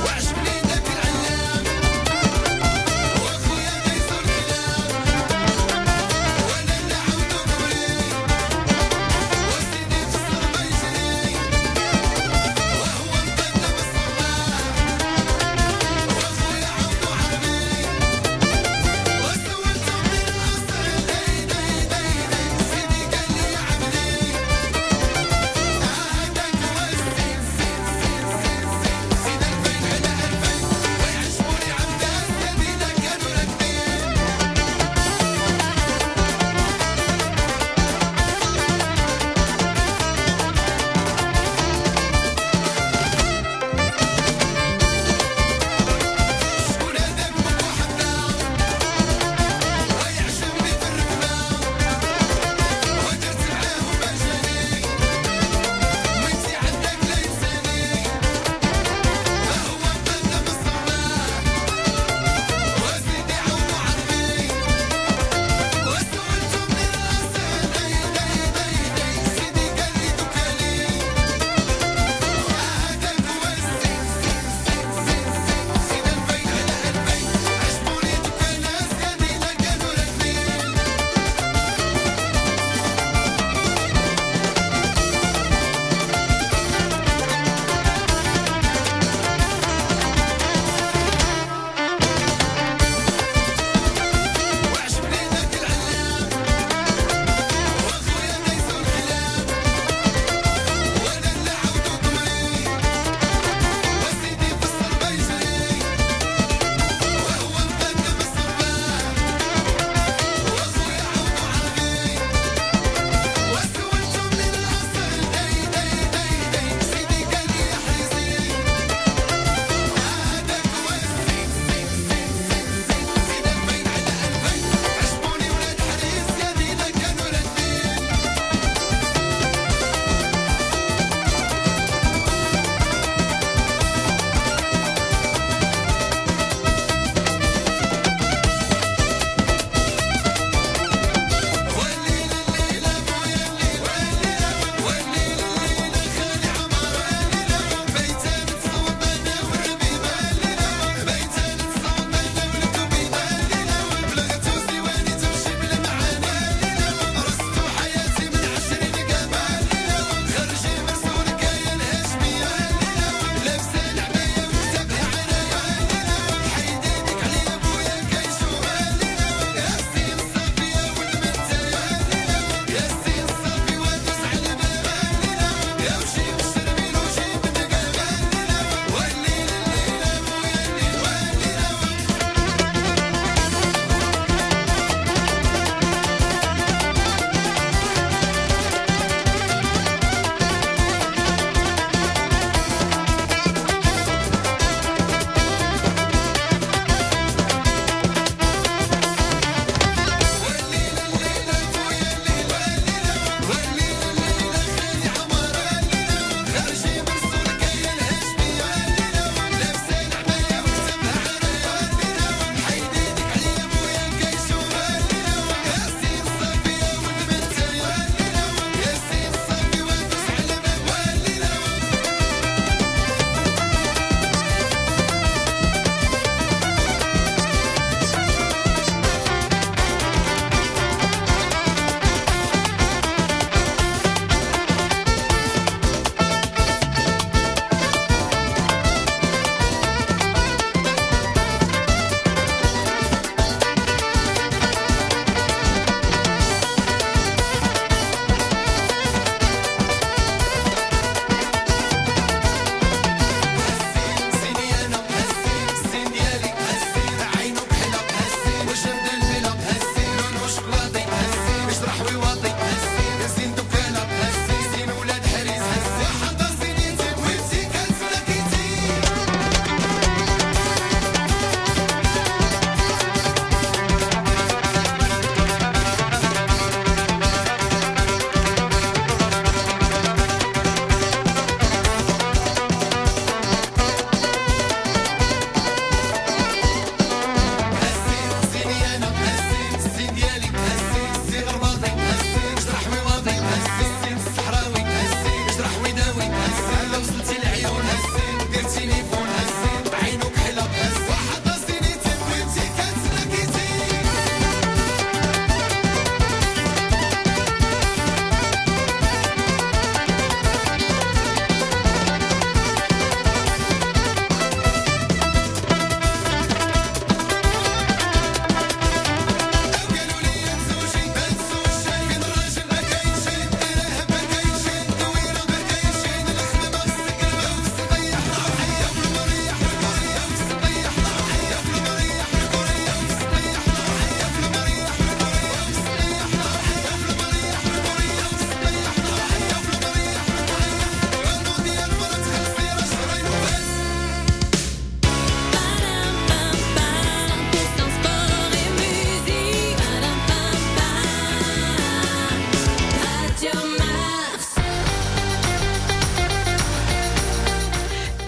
وعجبني ذاك العلام واخويا دايزو الكلام وانا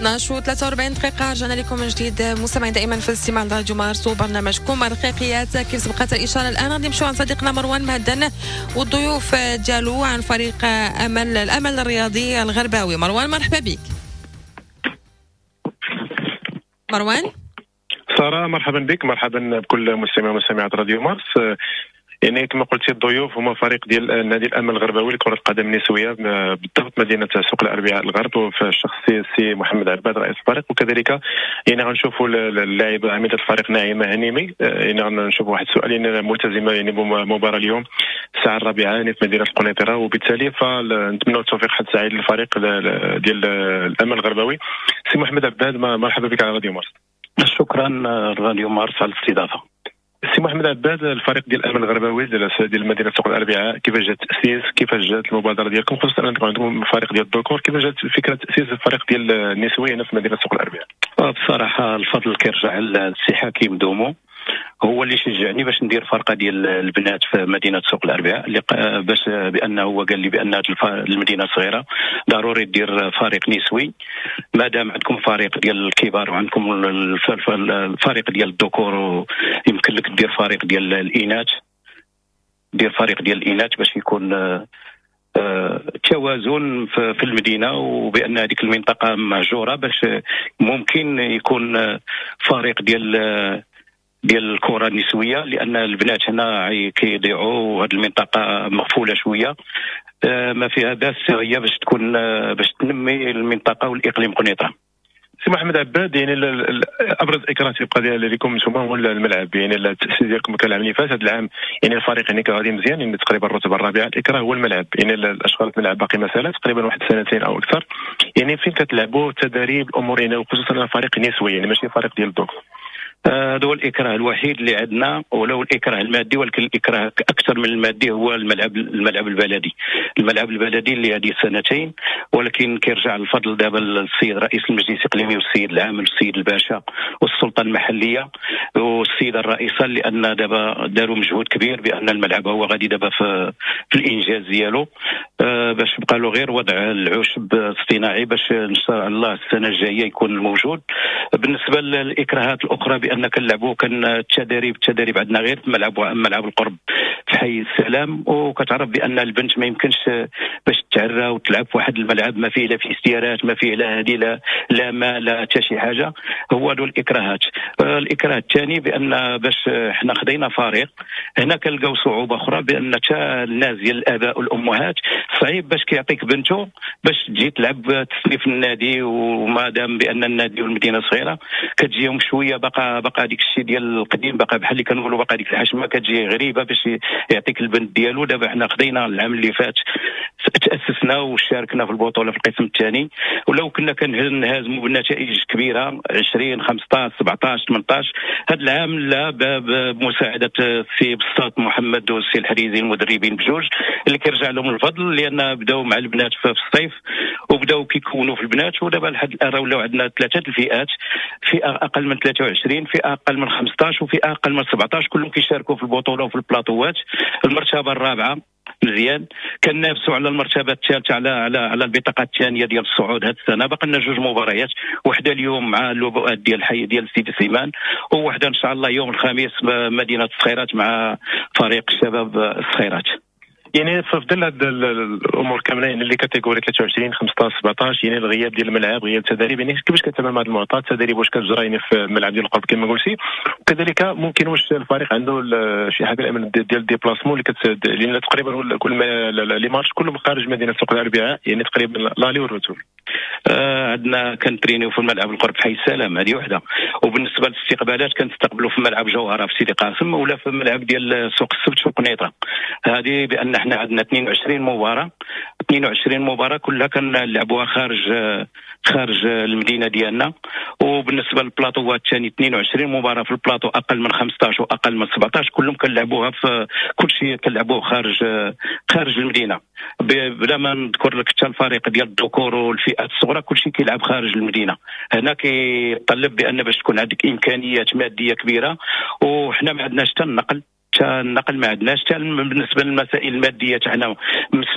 12:43 دقيقة، رجعنا لكم من جديد مستمعين دائما في الاستماع لراديو مارس وبرنامجكم الرقيقيات. كيف سبقت الإشارة الآن غادي نمشيو عند صديقنا مروان مهدن والضيوف ديالو عن فريق الأمل الرياضي الغرباوي. مروان مرحبا بك. مروان. سارة مرحبا بك، مرحبا بكل مستمع ومستمعات راديو مارس. يعني كما قلتي الضيوف هما فريق ديال النادي الامل الغرباوي لكرة القدم النسوية بالضبط مدينة سوق الاربعاء الغرب، وفي الشخص السي محمد عباد رئيس الفريق، وكذلك يعني غنشوفوا اللاعبه عميده الفريق نعيمه هنيمي. يعني غنشوفوا واحد السؤال يعني ملتزمة يعني بمباراة اليوم الساعة 4 يعني في مدينة القنيطره، وبالتالي فنتمنوا التوفيق حد سعيد للفريق ديال الامل الغرباوي. سي محمد عباد مرحبا بك على راديو مارس. شكرا راديو مارس على الاستضافة. سي محمد عباد، الفريق ديال الامل الغرباوي ديال مدينة سوق الاربعاء، كيفاش جات التاسيس، كيفاش جات المبادرة ديالكم، خصوصا انكم عندكم فريق ديال الذكور، كيفاش جات فكرة تاسيس الفريق ديال النسوية هنا في مدينة سوق الاربعاء؟ بصراحة الفضل كيرجع للسي حكيم دومو، هو اللي شجعني باش ندير فرقه ديال البنات في مدينة سوق الاربعاء، اللي باش بانه هو قال لي بان هذه المدينة صغيرة ضروري دير فريق نسوي، مادام عندكم فريق ديال الكبار وعندكم الفريق ديال الذكور يمكن لك دير فريق ديال الاناث، دير فريق ديال الاناث باش يكون توازن في المدينة، وبان هذيك المنطقة مهجورة باش ممكن يكون فريق ديال الكره النسوية، لان البنات هنا كيضيعوا وهذه المنطقة مغفوله شوية، ما فيها باس هي باش تكون باش تنمي المنطقة والاقليم قنيطره. سي محمد عباد، يعني ابرز اكراه تيبقى ديال لكم نتوما هو الملعب، يعني التاسيس ديالكم كان العام اللي فات، هذا العام يعني الفريق يعني كان غادي مزيان، يعني تقريبا الرتبة الرابعة. الاكراه هو الملعب، يعني الاشغال في الملعب باقي مسالة تقريبا واحد سنتين او اكثر، يعني فين كتلعبوا التدريب الامور، يعني وخصوصا الفريق النسوي يعني ماشي فريق ديال الذكور. هذا هو الإكراه الوحيد اللي عندنا، ولو الإكراه المادي، ولكن الإكراه أكثر من المادي هو الملعب البلدي، الملعب البلدي اللي هذه سنتين، ولكن كيرجع الفضل دابا للسيد رئيس المجلس الإقليمي والسيد العامل والسيد الباشا والسلطة المحلية والسيدة الرئيسة، لأن دابا داروا مجهود كبير بأن الملعب هو غادي دابا في الإنجاز ديالو، باش بقى له غير وضع العشب الاصطناعي باش إن شاء الله السنة الجاية يكون موجود. بالنسبة للإكراهات الأخرى بأن كنلعبوا كان التدريب عندنا غير في ملعب القرب في حي السلام، وكتعرف بأن البنت ما يمكنش باش تعرى وتلعب في واحد الملعب ما فيه لا فيستيرات، ما فيه لا هذه لا ما لا حتى شي حاجة. هو هادو الإكراهات. الإكراه الثاني بأن باش حنا خدينا فريق هنا كنلقاو صعوبة أخرى، بأن حتى الناس ديال الآباء والأمهات صعيب باش كيعطيك بنته باش تجي تلعب تسلي في النادي، وما دام بأن النادي والمدينة صغيرة كتجيهم شوية بقى هذيك الشيء ديال القديم، بقى بحال اللي كنقولوا بقى ديك الحشمة كتجي غريبة باش يعطيك البنت ديالو. دابا حنا خدينا العام اللي فات تاسسنا وشاركنا في البطولة في القسم الثاني، ولو كنا كنهزموا بنتائج كبيرة 20 15 17 18، هذا العام لا، بمساعدة السي بساط محمد والسي الحريزي المدربين بجوج اللي كيرجع لهم الفضل، لان بداو مع البنات في الصيف وبداو كيكونوا في البنات، ودابا لحد الان ولاو عندنا ثلاثة الفئات، فئة اقل من 23، فئة اقل من 15، وفئه اقل من 17، كلهم كيشاركوا في البطولة وفي البلاطوات. المرتبة الرابعة مزيان، كنافسوا على المرتبة الثالثة على على على البطاقة الثانية ديال الصعود هذه السنة. باقي لنا جوج مباريات، وحده اليوم مع اللبؤات ديال الحي ديال سيدي سليمان، ووحده ان شاء الله يوم الخميس مدينة الصخيرات مع فريق الشباب الصخيرات. يعني في ظل هاد الامور كاملة، يعني les catégories 23 15 17، يعني الغياب ديال الملعب، غياب التدريب، يعني كيفاش كتعامل مع هذا المعطى؟ التدريب واش كتجرى يعني في الملعب ديال القرب كما قلتي، وكذلك ممكن واش الفريق عنده شي حاجة الامن ديال ال déplacement اللي لان تقريبا كل les matchs كلهم خارج مدينة سوق الاربعاء، يعني تقريبا l'aller وال retour. عندنا كنترينيو في الملعب القرب في حي السلام، هذه وحده. وبالنسبة للاستقبالات كنستقبلوا في ملعب جوهره في سيدي قاسم، ولا في ملعب ديال سوق السبت في قنيطره. هذه بان حنا عندنا 22 مباراة، 22 مباراة كلها كنلعبوها خارج المدينة ديالنا. وبالنسبة للبلاطوات الثاني 22 مباراة في البلاطو اقل من 15 واقل من 17، كلهم كنلعبوها في كل شيء كنلعبوه خارج المدينة. بلا ما نذكر لك حتى الفريق ديال الذكور والفئات الصغرى كل شيء كيلعب خارج المدينة. هنا كيطلب بان باش تكون عندك امكانيات مادية كبيرة، وحنا ما عندناش حتى النقل. حتى النقل ما عندناش، حتى بالنسبة للمسائل المادية تاعنا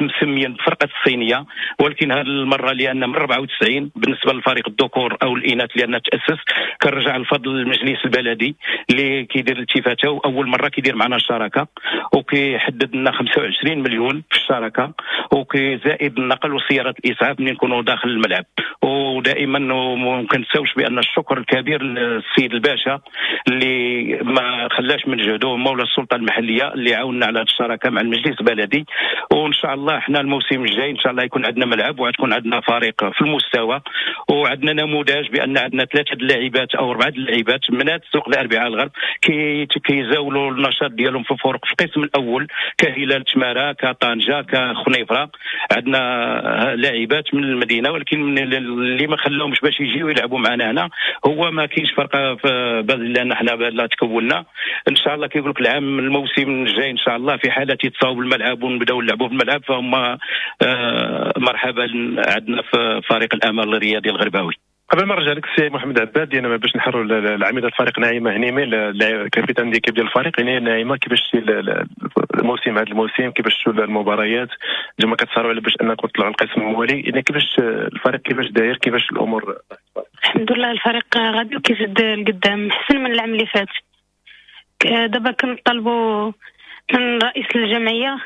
مسميين بفرقة الصينية، ولكن هذه المرة لان من 94 بالنسبة للفريق الذكور او الاناث لان تاسس، كنرجع الفضل للمجلس البلدي اللي كيدير الالتفاته، واول مرة كيدير معنا الشراكة وكيحدد لنا 25 مليون في الشراكة، وكيزائد النقل وسيارات الاسعاف ملي نكونوا داخل الملعب. ودائما ما كنساوش بان الشكر الكبير للسيد الباشا اللي ما خلاش من جهده، مولى السلطة المحلية اللي عاوننا على هذه الشراكة مع المجلس البلدي. وان شاء الله احنا الموسم الجاي ان شاء الله يكون عندنا ملعب وغتكون عندنا فريق في المستوى، وعندنا نموذج بان عندنا 3 اللاعبات او 4 اللاعبات من هذا السوق الاربعاء الغرب كيزاولوا النشاط ديالهم في فرق في القسم الاول، كهلال تماره، كطنجه، كخنيفره. عندنا لاعبات من المدينة، ولكن اللي ما خلاهمش باش يجيو يلعبوا معنا هنا هو ما كاينش فرقه في لان حنا لا تكوننا. ان شاء الله كيقول لك العام الموسم الجاي ان شاء الله في حاله يتصاوب الملعب ونبداو نلعبوا في الملعب، فهم مرحبا عندنا في فريق الامل الرياضي الغرباوي. قبل ما نرجع لك السي محمد عباد، يعني باش نحروا العميد الفريق نعيمه هنيمي capitaine d'équipe ديال الفريق، يعني نعيمه كيفاش الموسم هذا الموسم، كيفاش المباريات انتم كتصارعوا على باش انكم تطلعوا القسم الموالي، يعني كيفاش الفريق كيفاش داير، كيفاش الامور؟ الحمد لله الفريق غادي وكيزيد لقدام احسن من العام اللي فات. دابا كنطالبوا من رئيس الجمعية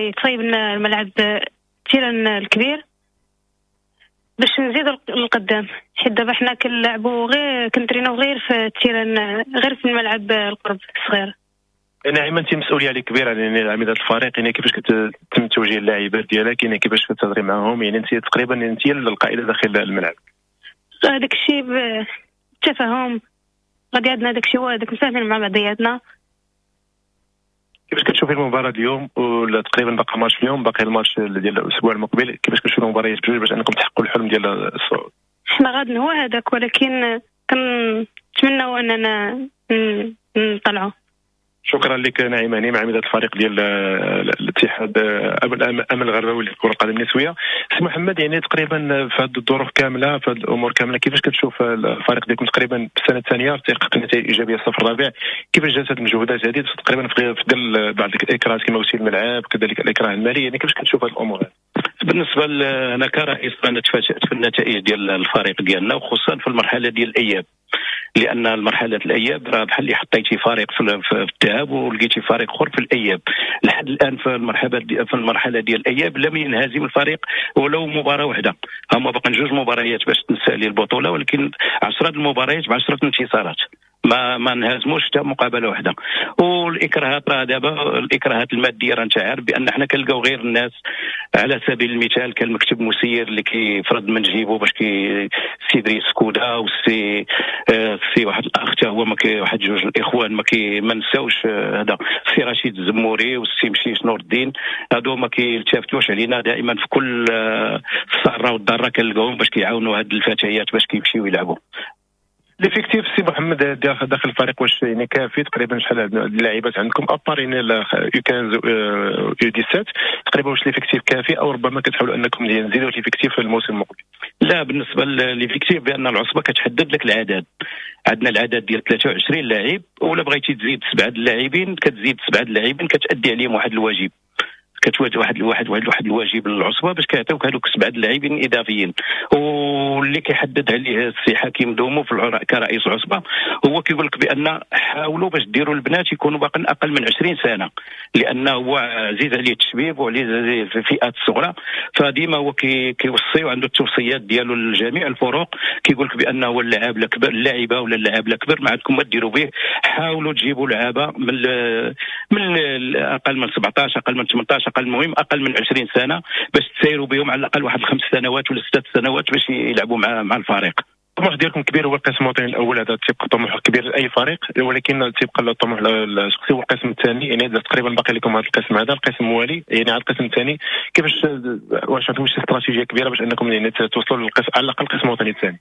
يتصايب لنا الملعب terrain الكبير باش نزيدو للقدام، حيت دابا حنا كنلعبوا غير كنترينو غير في ال terrain، غير في الملعب القرب الصغير. نعيمه انت مسؤولية عليك كبيرة يعني عميده الفريق، يعني كيفاش كتم توجيه اللاعبات ديالك، يعني كيفاش كتهضري معاهم، يعني انت تقريبا انت القائده داخل الملعب. هذاك الشيء بالتفاهم غادي عندنا، داك الشيء هو هذاك مساهمين مع بعضياتنا. كيفاش كتشوفي المباراة اليوم، ولا تقريبا باقي ماتش اليوم، باقي الماتش ديال الاسبوع المقبل، كيفاش كتشوفي المباريات بجوج باش انكم تحققوا الحلم ديال الصعود؟ حنا غادي هو هذاك، ولكن كنتمناو اننا نطلعوا. شكرا لك نعيمه هنيمي عميدة الفريق ديال الاتحاد الامل الغرباوي لكرة القدم النسوية. سي محمد، يعني تقريبا في هذه الظروف كاملة، في هذه الامور كاملة، كيفاش كتشوف الفريق ديالكم تقريبا في السنة الثانية تحقق نتائج ايجابية الصف الرابع، كيفاش جات هذه المجهودات هذه تقريبا في ظل بعض الاكراهات كما قلتي الملعب، كذلك الاكراه المالي، يعني كيفاش كتشوف هذه الامور هذه؟ بالنسبة انا كرئيس انا تفاجات في النتائج ديال الفريق ديالنا، وخصوصا في المرحلة ديال الاياب، لان المرحلة الاياب راه بحال اللي حطيتي فريق في الذهاب ولقيتي فريق اخر في الاياب. لحد الان في المرحلة ديال الاياب لم ينهزم الفريق ولو مباراة واحدة، هما باقي 2 مباريات باش تنسالي البطولة، ولكن 10 المباريات ب10 انتصارات، ما نهزموش حتى مقابله واحدة. والاكراهات راه دابا الاكراهات المادية راه انت عارف بان حنا كنلقاو غير الناس، على سبيل المثال كان المكتب مسير اللي كيفرض من جيبو باش كي سي دريس كودا والسي سي واحد الاخ حتى هو ما كي واحد 2 الاخوان ما نساوش هذا السي رشيد الزموري والسي مشيش نور الدين، هادو ما كيلتفتوش علينا دائما في كل الساره والضره كنلقاوهم باش كيعاونوا هاد الفتيات باش كيمشيو يلعبوا. l'effectif سي محمد داخل الفريق واش يعني كافي؟ تقريبا شحال اللاعبات عندكم à part يعني U 15 U 17 تقريبا، واش l'effectif كافي او ربما كتحاولوا انكم تزيدوا l'effectif في الموسم المقبل؟ لا، بالنسبة l'effectif بان العصبة كتحدد لك العدد، عندنا العدد ديال 23 لاعب، ولا بغيتي تزيد 7 اللاعبين كتزيد 7 اللاعبين، كتادي عليهم واحد الواجب، كتواجه واحد واحد واحد واحد الواجب للعصبه باش كيعطيوك هذوك 7 اللاعبين اضافيين. واللي كيحدد عليه السي حكيم دومو في كرئيس العصبة هو كيقول لك بان حاولوا باش ديروا البنات يكونوا باقي اقل من 20 سنة، لانه هو عزيز عليه التشبيب وعزيز عليه الفئات الصغرى، فديما هو كيوصي وعنده التوصيات ديالو لجميع الفرق، كيقول لك بانه هو اللاعب الكبر، اللاعبه ولا اللاعب الكبر ما عندكم ما ديروا به، حاولوا تجيبوا لعابه من اقل من 17، اقل من 18، اقل، المهم اقل من 20 سنة باش تسيروا بهم على الاقل واحد 5 سنوات ولا 6 سنوات باش يلعبوا مع الفريق. الطموح ديالكم كبير هو القسم الوطني الاول، هذا تيبقى طموح كبير لاي فريق، ولكن تيبقى الطموح الشخصي هو القسم الثاني، يعني تقريبا باقي لكم هذا القسم، هذا القسم الموالي يعني على القسم الثاني، كيفاش واش عندكم شي استراتيجية كبيرة باش انكم يعني توصلوا للقسم على الاقل القسم الوطني الثاني؟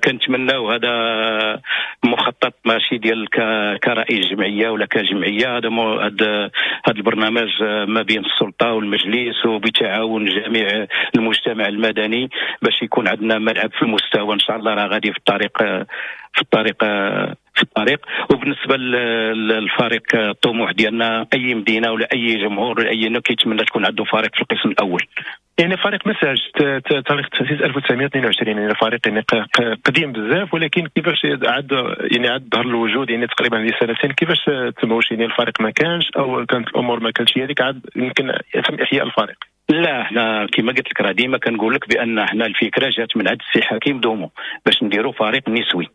كنتمناو هذا مخطط ماشي ديال كرئيس جمعية ولا كجمعية، هذا هذا البرنامج ما بين السلطة والمجلس وبتعاون جميع المجتمع المدني باش يكون عندنا ملعب في المستوى ان شاء الله. راه غادي في الطريق في الطريق. وبالنسبة للفريق الطموح ديالنا اي مدينة ولا اي جمهور ولا اي كيتمنى تكون عنده فريق في القسم الاول. يعني فريق مساج تاريخ التاسيس 1922، يعني فريق يعني قديم بزاف، ولكن كيفاش عاد يعني عاد ظهر الوجود يعني تقريبا هذه سنتين، كيفاش تموش يعني الفريق ما كانش او كانت الامور ما كانتش هذيك عاد يمكن يتم احياء الفريق؟ لا احنا كما قلت لك راه ديما كنقول لك بان احنا الفكرة جات من عند السي حكيم دومو باش نديروا فريق نسوي،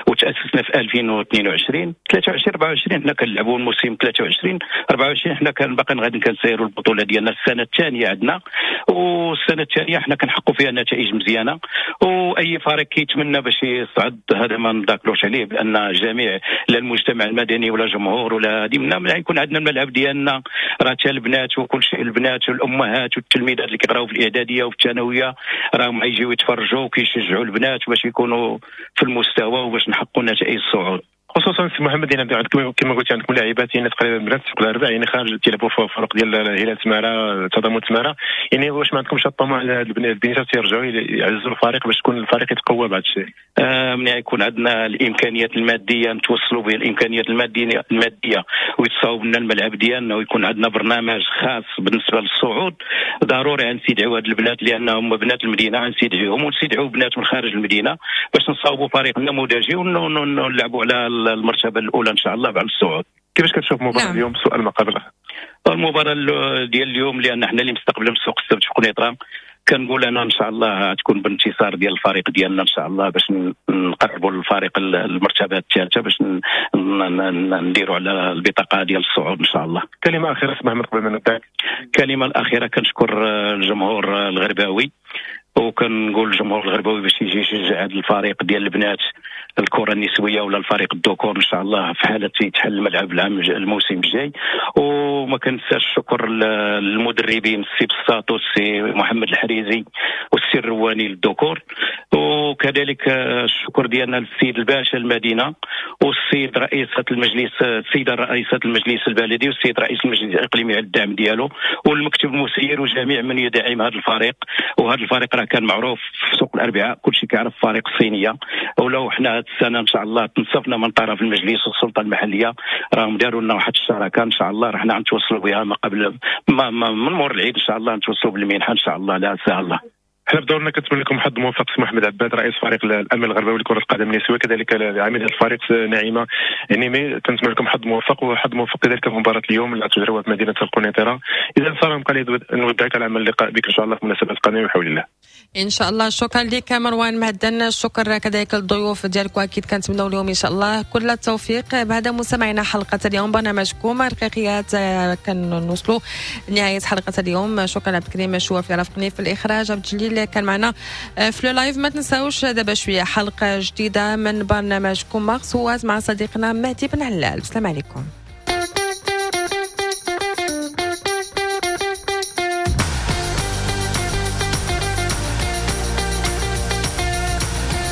وتاسسنا في 2022 23 24 حنا كنلعبوا الموسم 23 24 حنا كان باقي غادي كنسيروا البطولة ديالنا السنة الثانية عندنا، والسنة الثانية حنا كنحققوا فيها نتائج مزيانه، واي فريق كيتمنى باش يصعد هذا ما نذاكروش عليه بان جميع لا المجتمع المدني ولا جمهور ولا هذه منا يكون عندنا الملعب ديالنا راه حتى البنات وكل شيء، البنات والامهات والتلميذات اللي كيقراو في الاعدادية وفي الثانوية راهم يجيو يتفرجوا وكيشجعوا البنات باش يكونوا في المستوى وباش نحققوا نتائج الصعود. خصوصا سي محمد يعني عندكم كما قلت عندكم لاعبات يعني تقريبا بنات في الاربع يعني خارج تيلعبوا في فرق ديال هلال تماره تضامن تماره، يعني واش ما عندكمش الطموح على هاد البنيتات يرجعوا يعززوا الفريق باش تكون الفريق يتقوى بعد الشيء؟ ملي يكون عندنا الامكانيات المادية نتوصلوا به الامكانيات المادية ويتصاوب لنا الملعب ديالنا ويكون عندنا برنامج خاص بالنسبة للصعود، ضروري غنستدعيو هاد البنات لانهم بنات المدينة، غنستدعيوهم ونستدعيو بنات من خارج المدينة باش نصاوبوا فريق نموذجي ونلعبوا على المرتبة الاولى ان شاء الله بعد الصعود. كيفاش كتشوف مباراة اليوم؟ سؤال ما قبل المباراة ديال اليوم لان حنا اللي مستقبلين سوق السبت في قنيطره، كنقول انا ان شاء الله تكون بانتصار ديال الفريق ديالنا ان شاء الله باش نقربوا للفريق المرتبة الثالثة باش نديروا على البطاقة ديال الصعود ان شاء الله. كلمة اخيرة سي محمد قبل ما نبداك. الكلمة الاخيرة كنشكر الجمهور الغرباوي، وكنقول للجمهور الغرباوي باش يجي يشجع هذا الفريق ديال البنات الكره النسوية ولا الفريق الذكور ان شاء الله في حاله يتحل الملعب العام الموسم الجاي. وما كنساش الشكر للمدربين السي بساط والسي محمد الحريزي والسي الرواني للذكور، وكذلك الشكر ديالنا للسيد الباشا المدينة والسيد رئيسه المجلس السيدة رئيسه المجلس البلدي والسيد رئيس المجلس الاقليمي على الدعم ديالو، والمكتب المسير وجميع من يدعم هذا الفريق. وهذا الفريق راه كان معروف في سوق الاربعاء، كلشي كيعرف فريق الصينية، ولو حنا هذه السنة ان شاء الله تنصفنا من طرف المجلس والسلطة المحلية راهم داروا لنا واحد الشراكة ان شاء الله راه حنا غنتوصلوا بها ما قبل ما من مور العيد ان شاء الله نتوصلوا بالمنحه ان شاء الله لا سهل الله. حنا بدورنا كنتمنى لكم حظ موفق سي محمد عباد رئيس فريق الامل الغرباوي لكرة القدم النسوية، كذلك عميد الفريق نعيمه يعني كنتمنى لكم حظ موفق وحظ موفق كذلك في مباراة اليوم اللي تجريوها في مدينة القنيطره. اذا ساره بقى نودعك على امل اللقاء بك ان شاء الله في مناسبات قادمة بحول الله. ان شاء الله. شكرا لك مروان مهدن، شكرا كذلك للضيوف ديالك، واكيد كنتمناو لهم ان شاء الله كل التوفيق. بهذا مستمعينا حلقة اليوم برنامجكم رقيقيات كنوصلوا نهاية حلقة اليوم. شكرا عبد الكريم شوافي رافقني في الاخراج، عبد الجليل كان معنا في live. ما تنساوش دابا شوية حلقة جديدة من برنامجكم مارس مع صديقنا مهدي بن علال. السلام عليكم.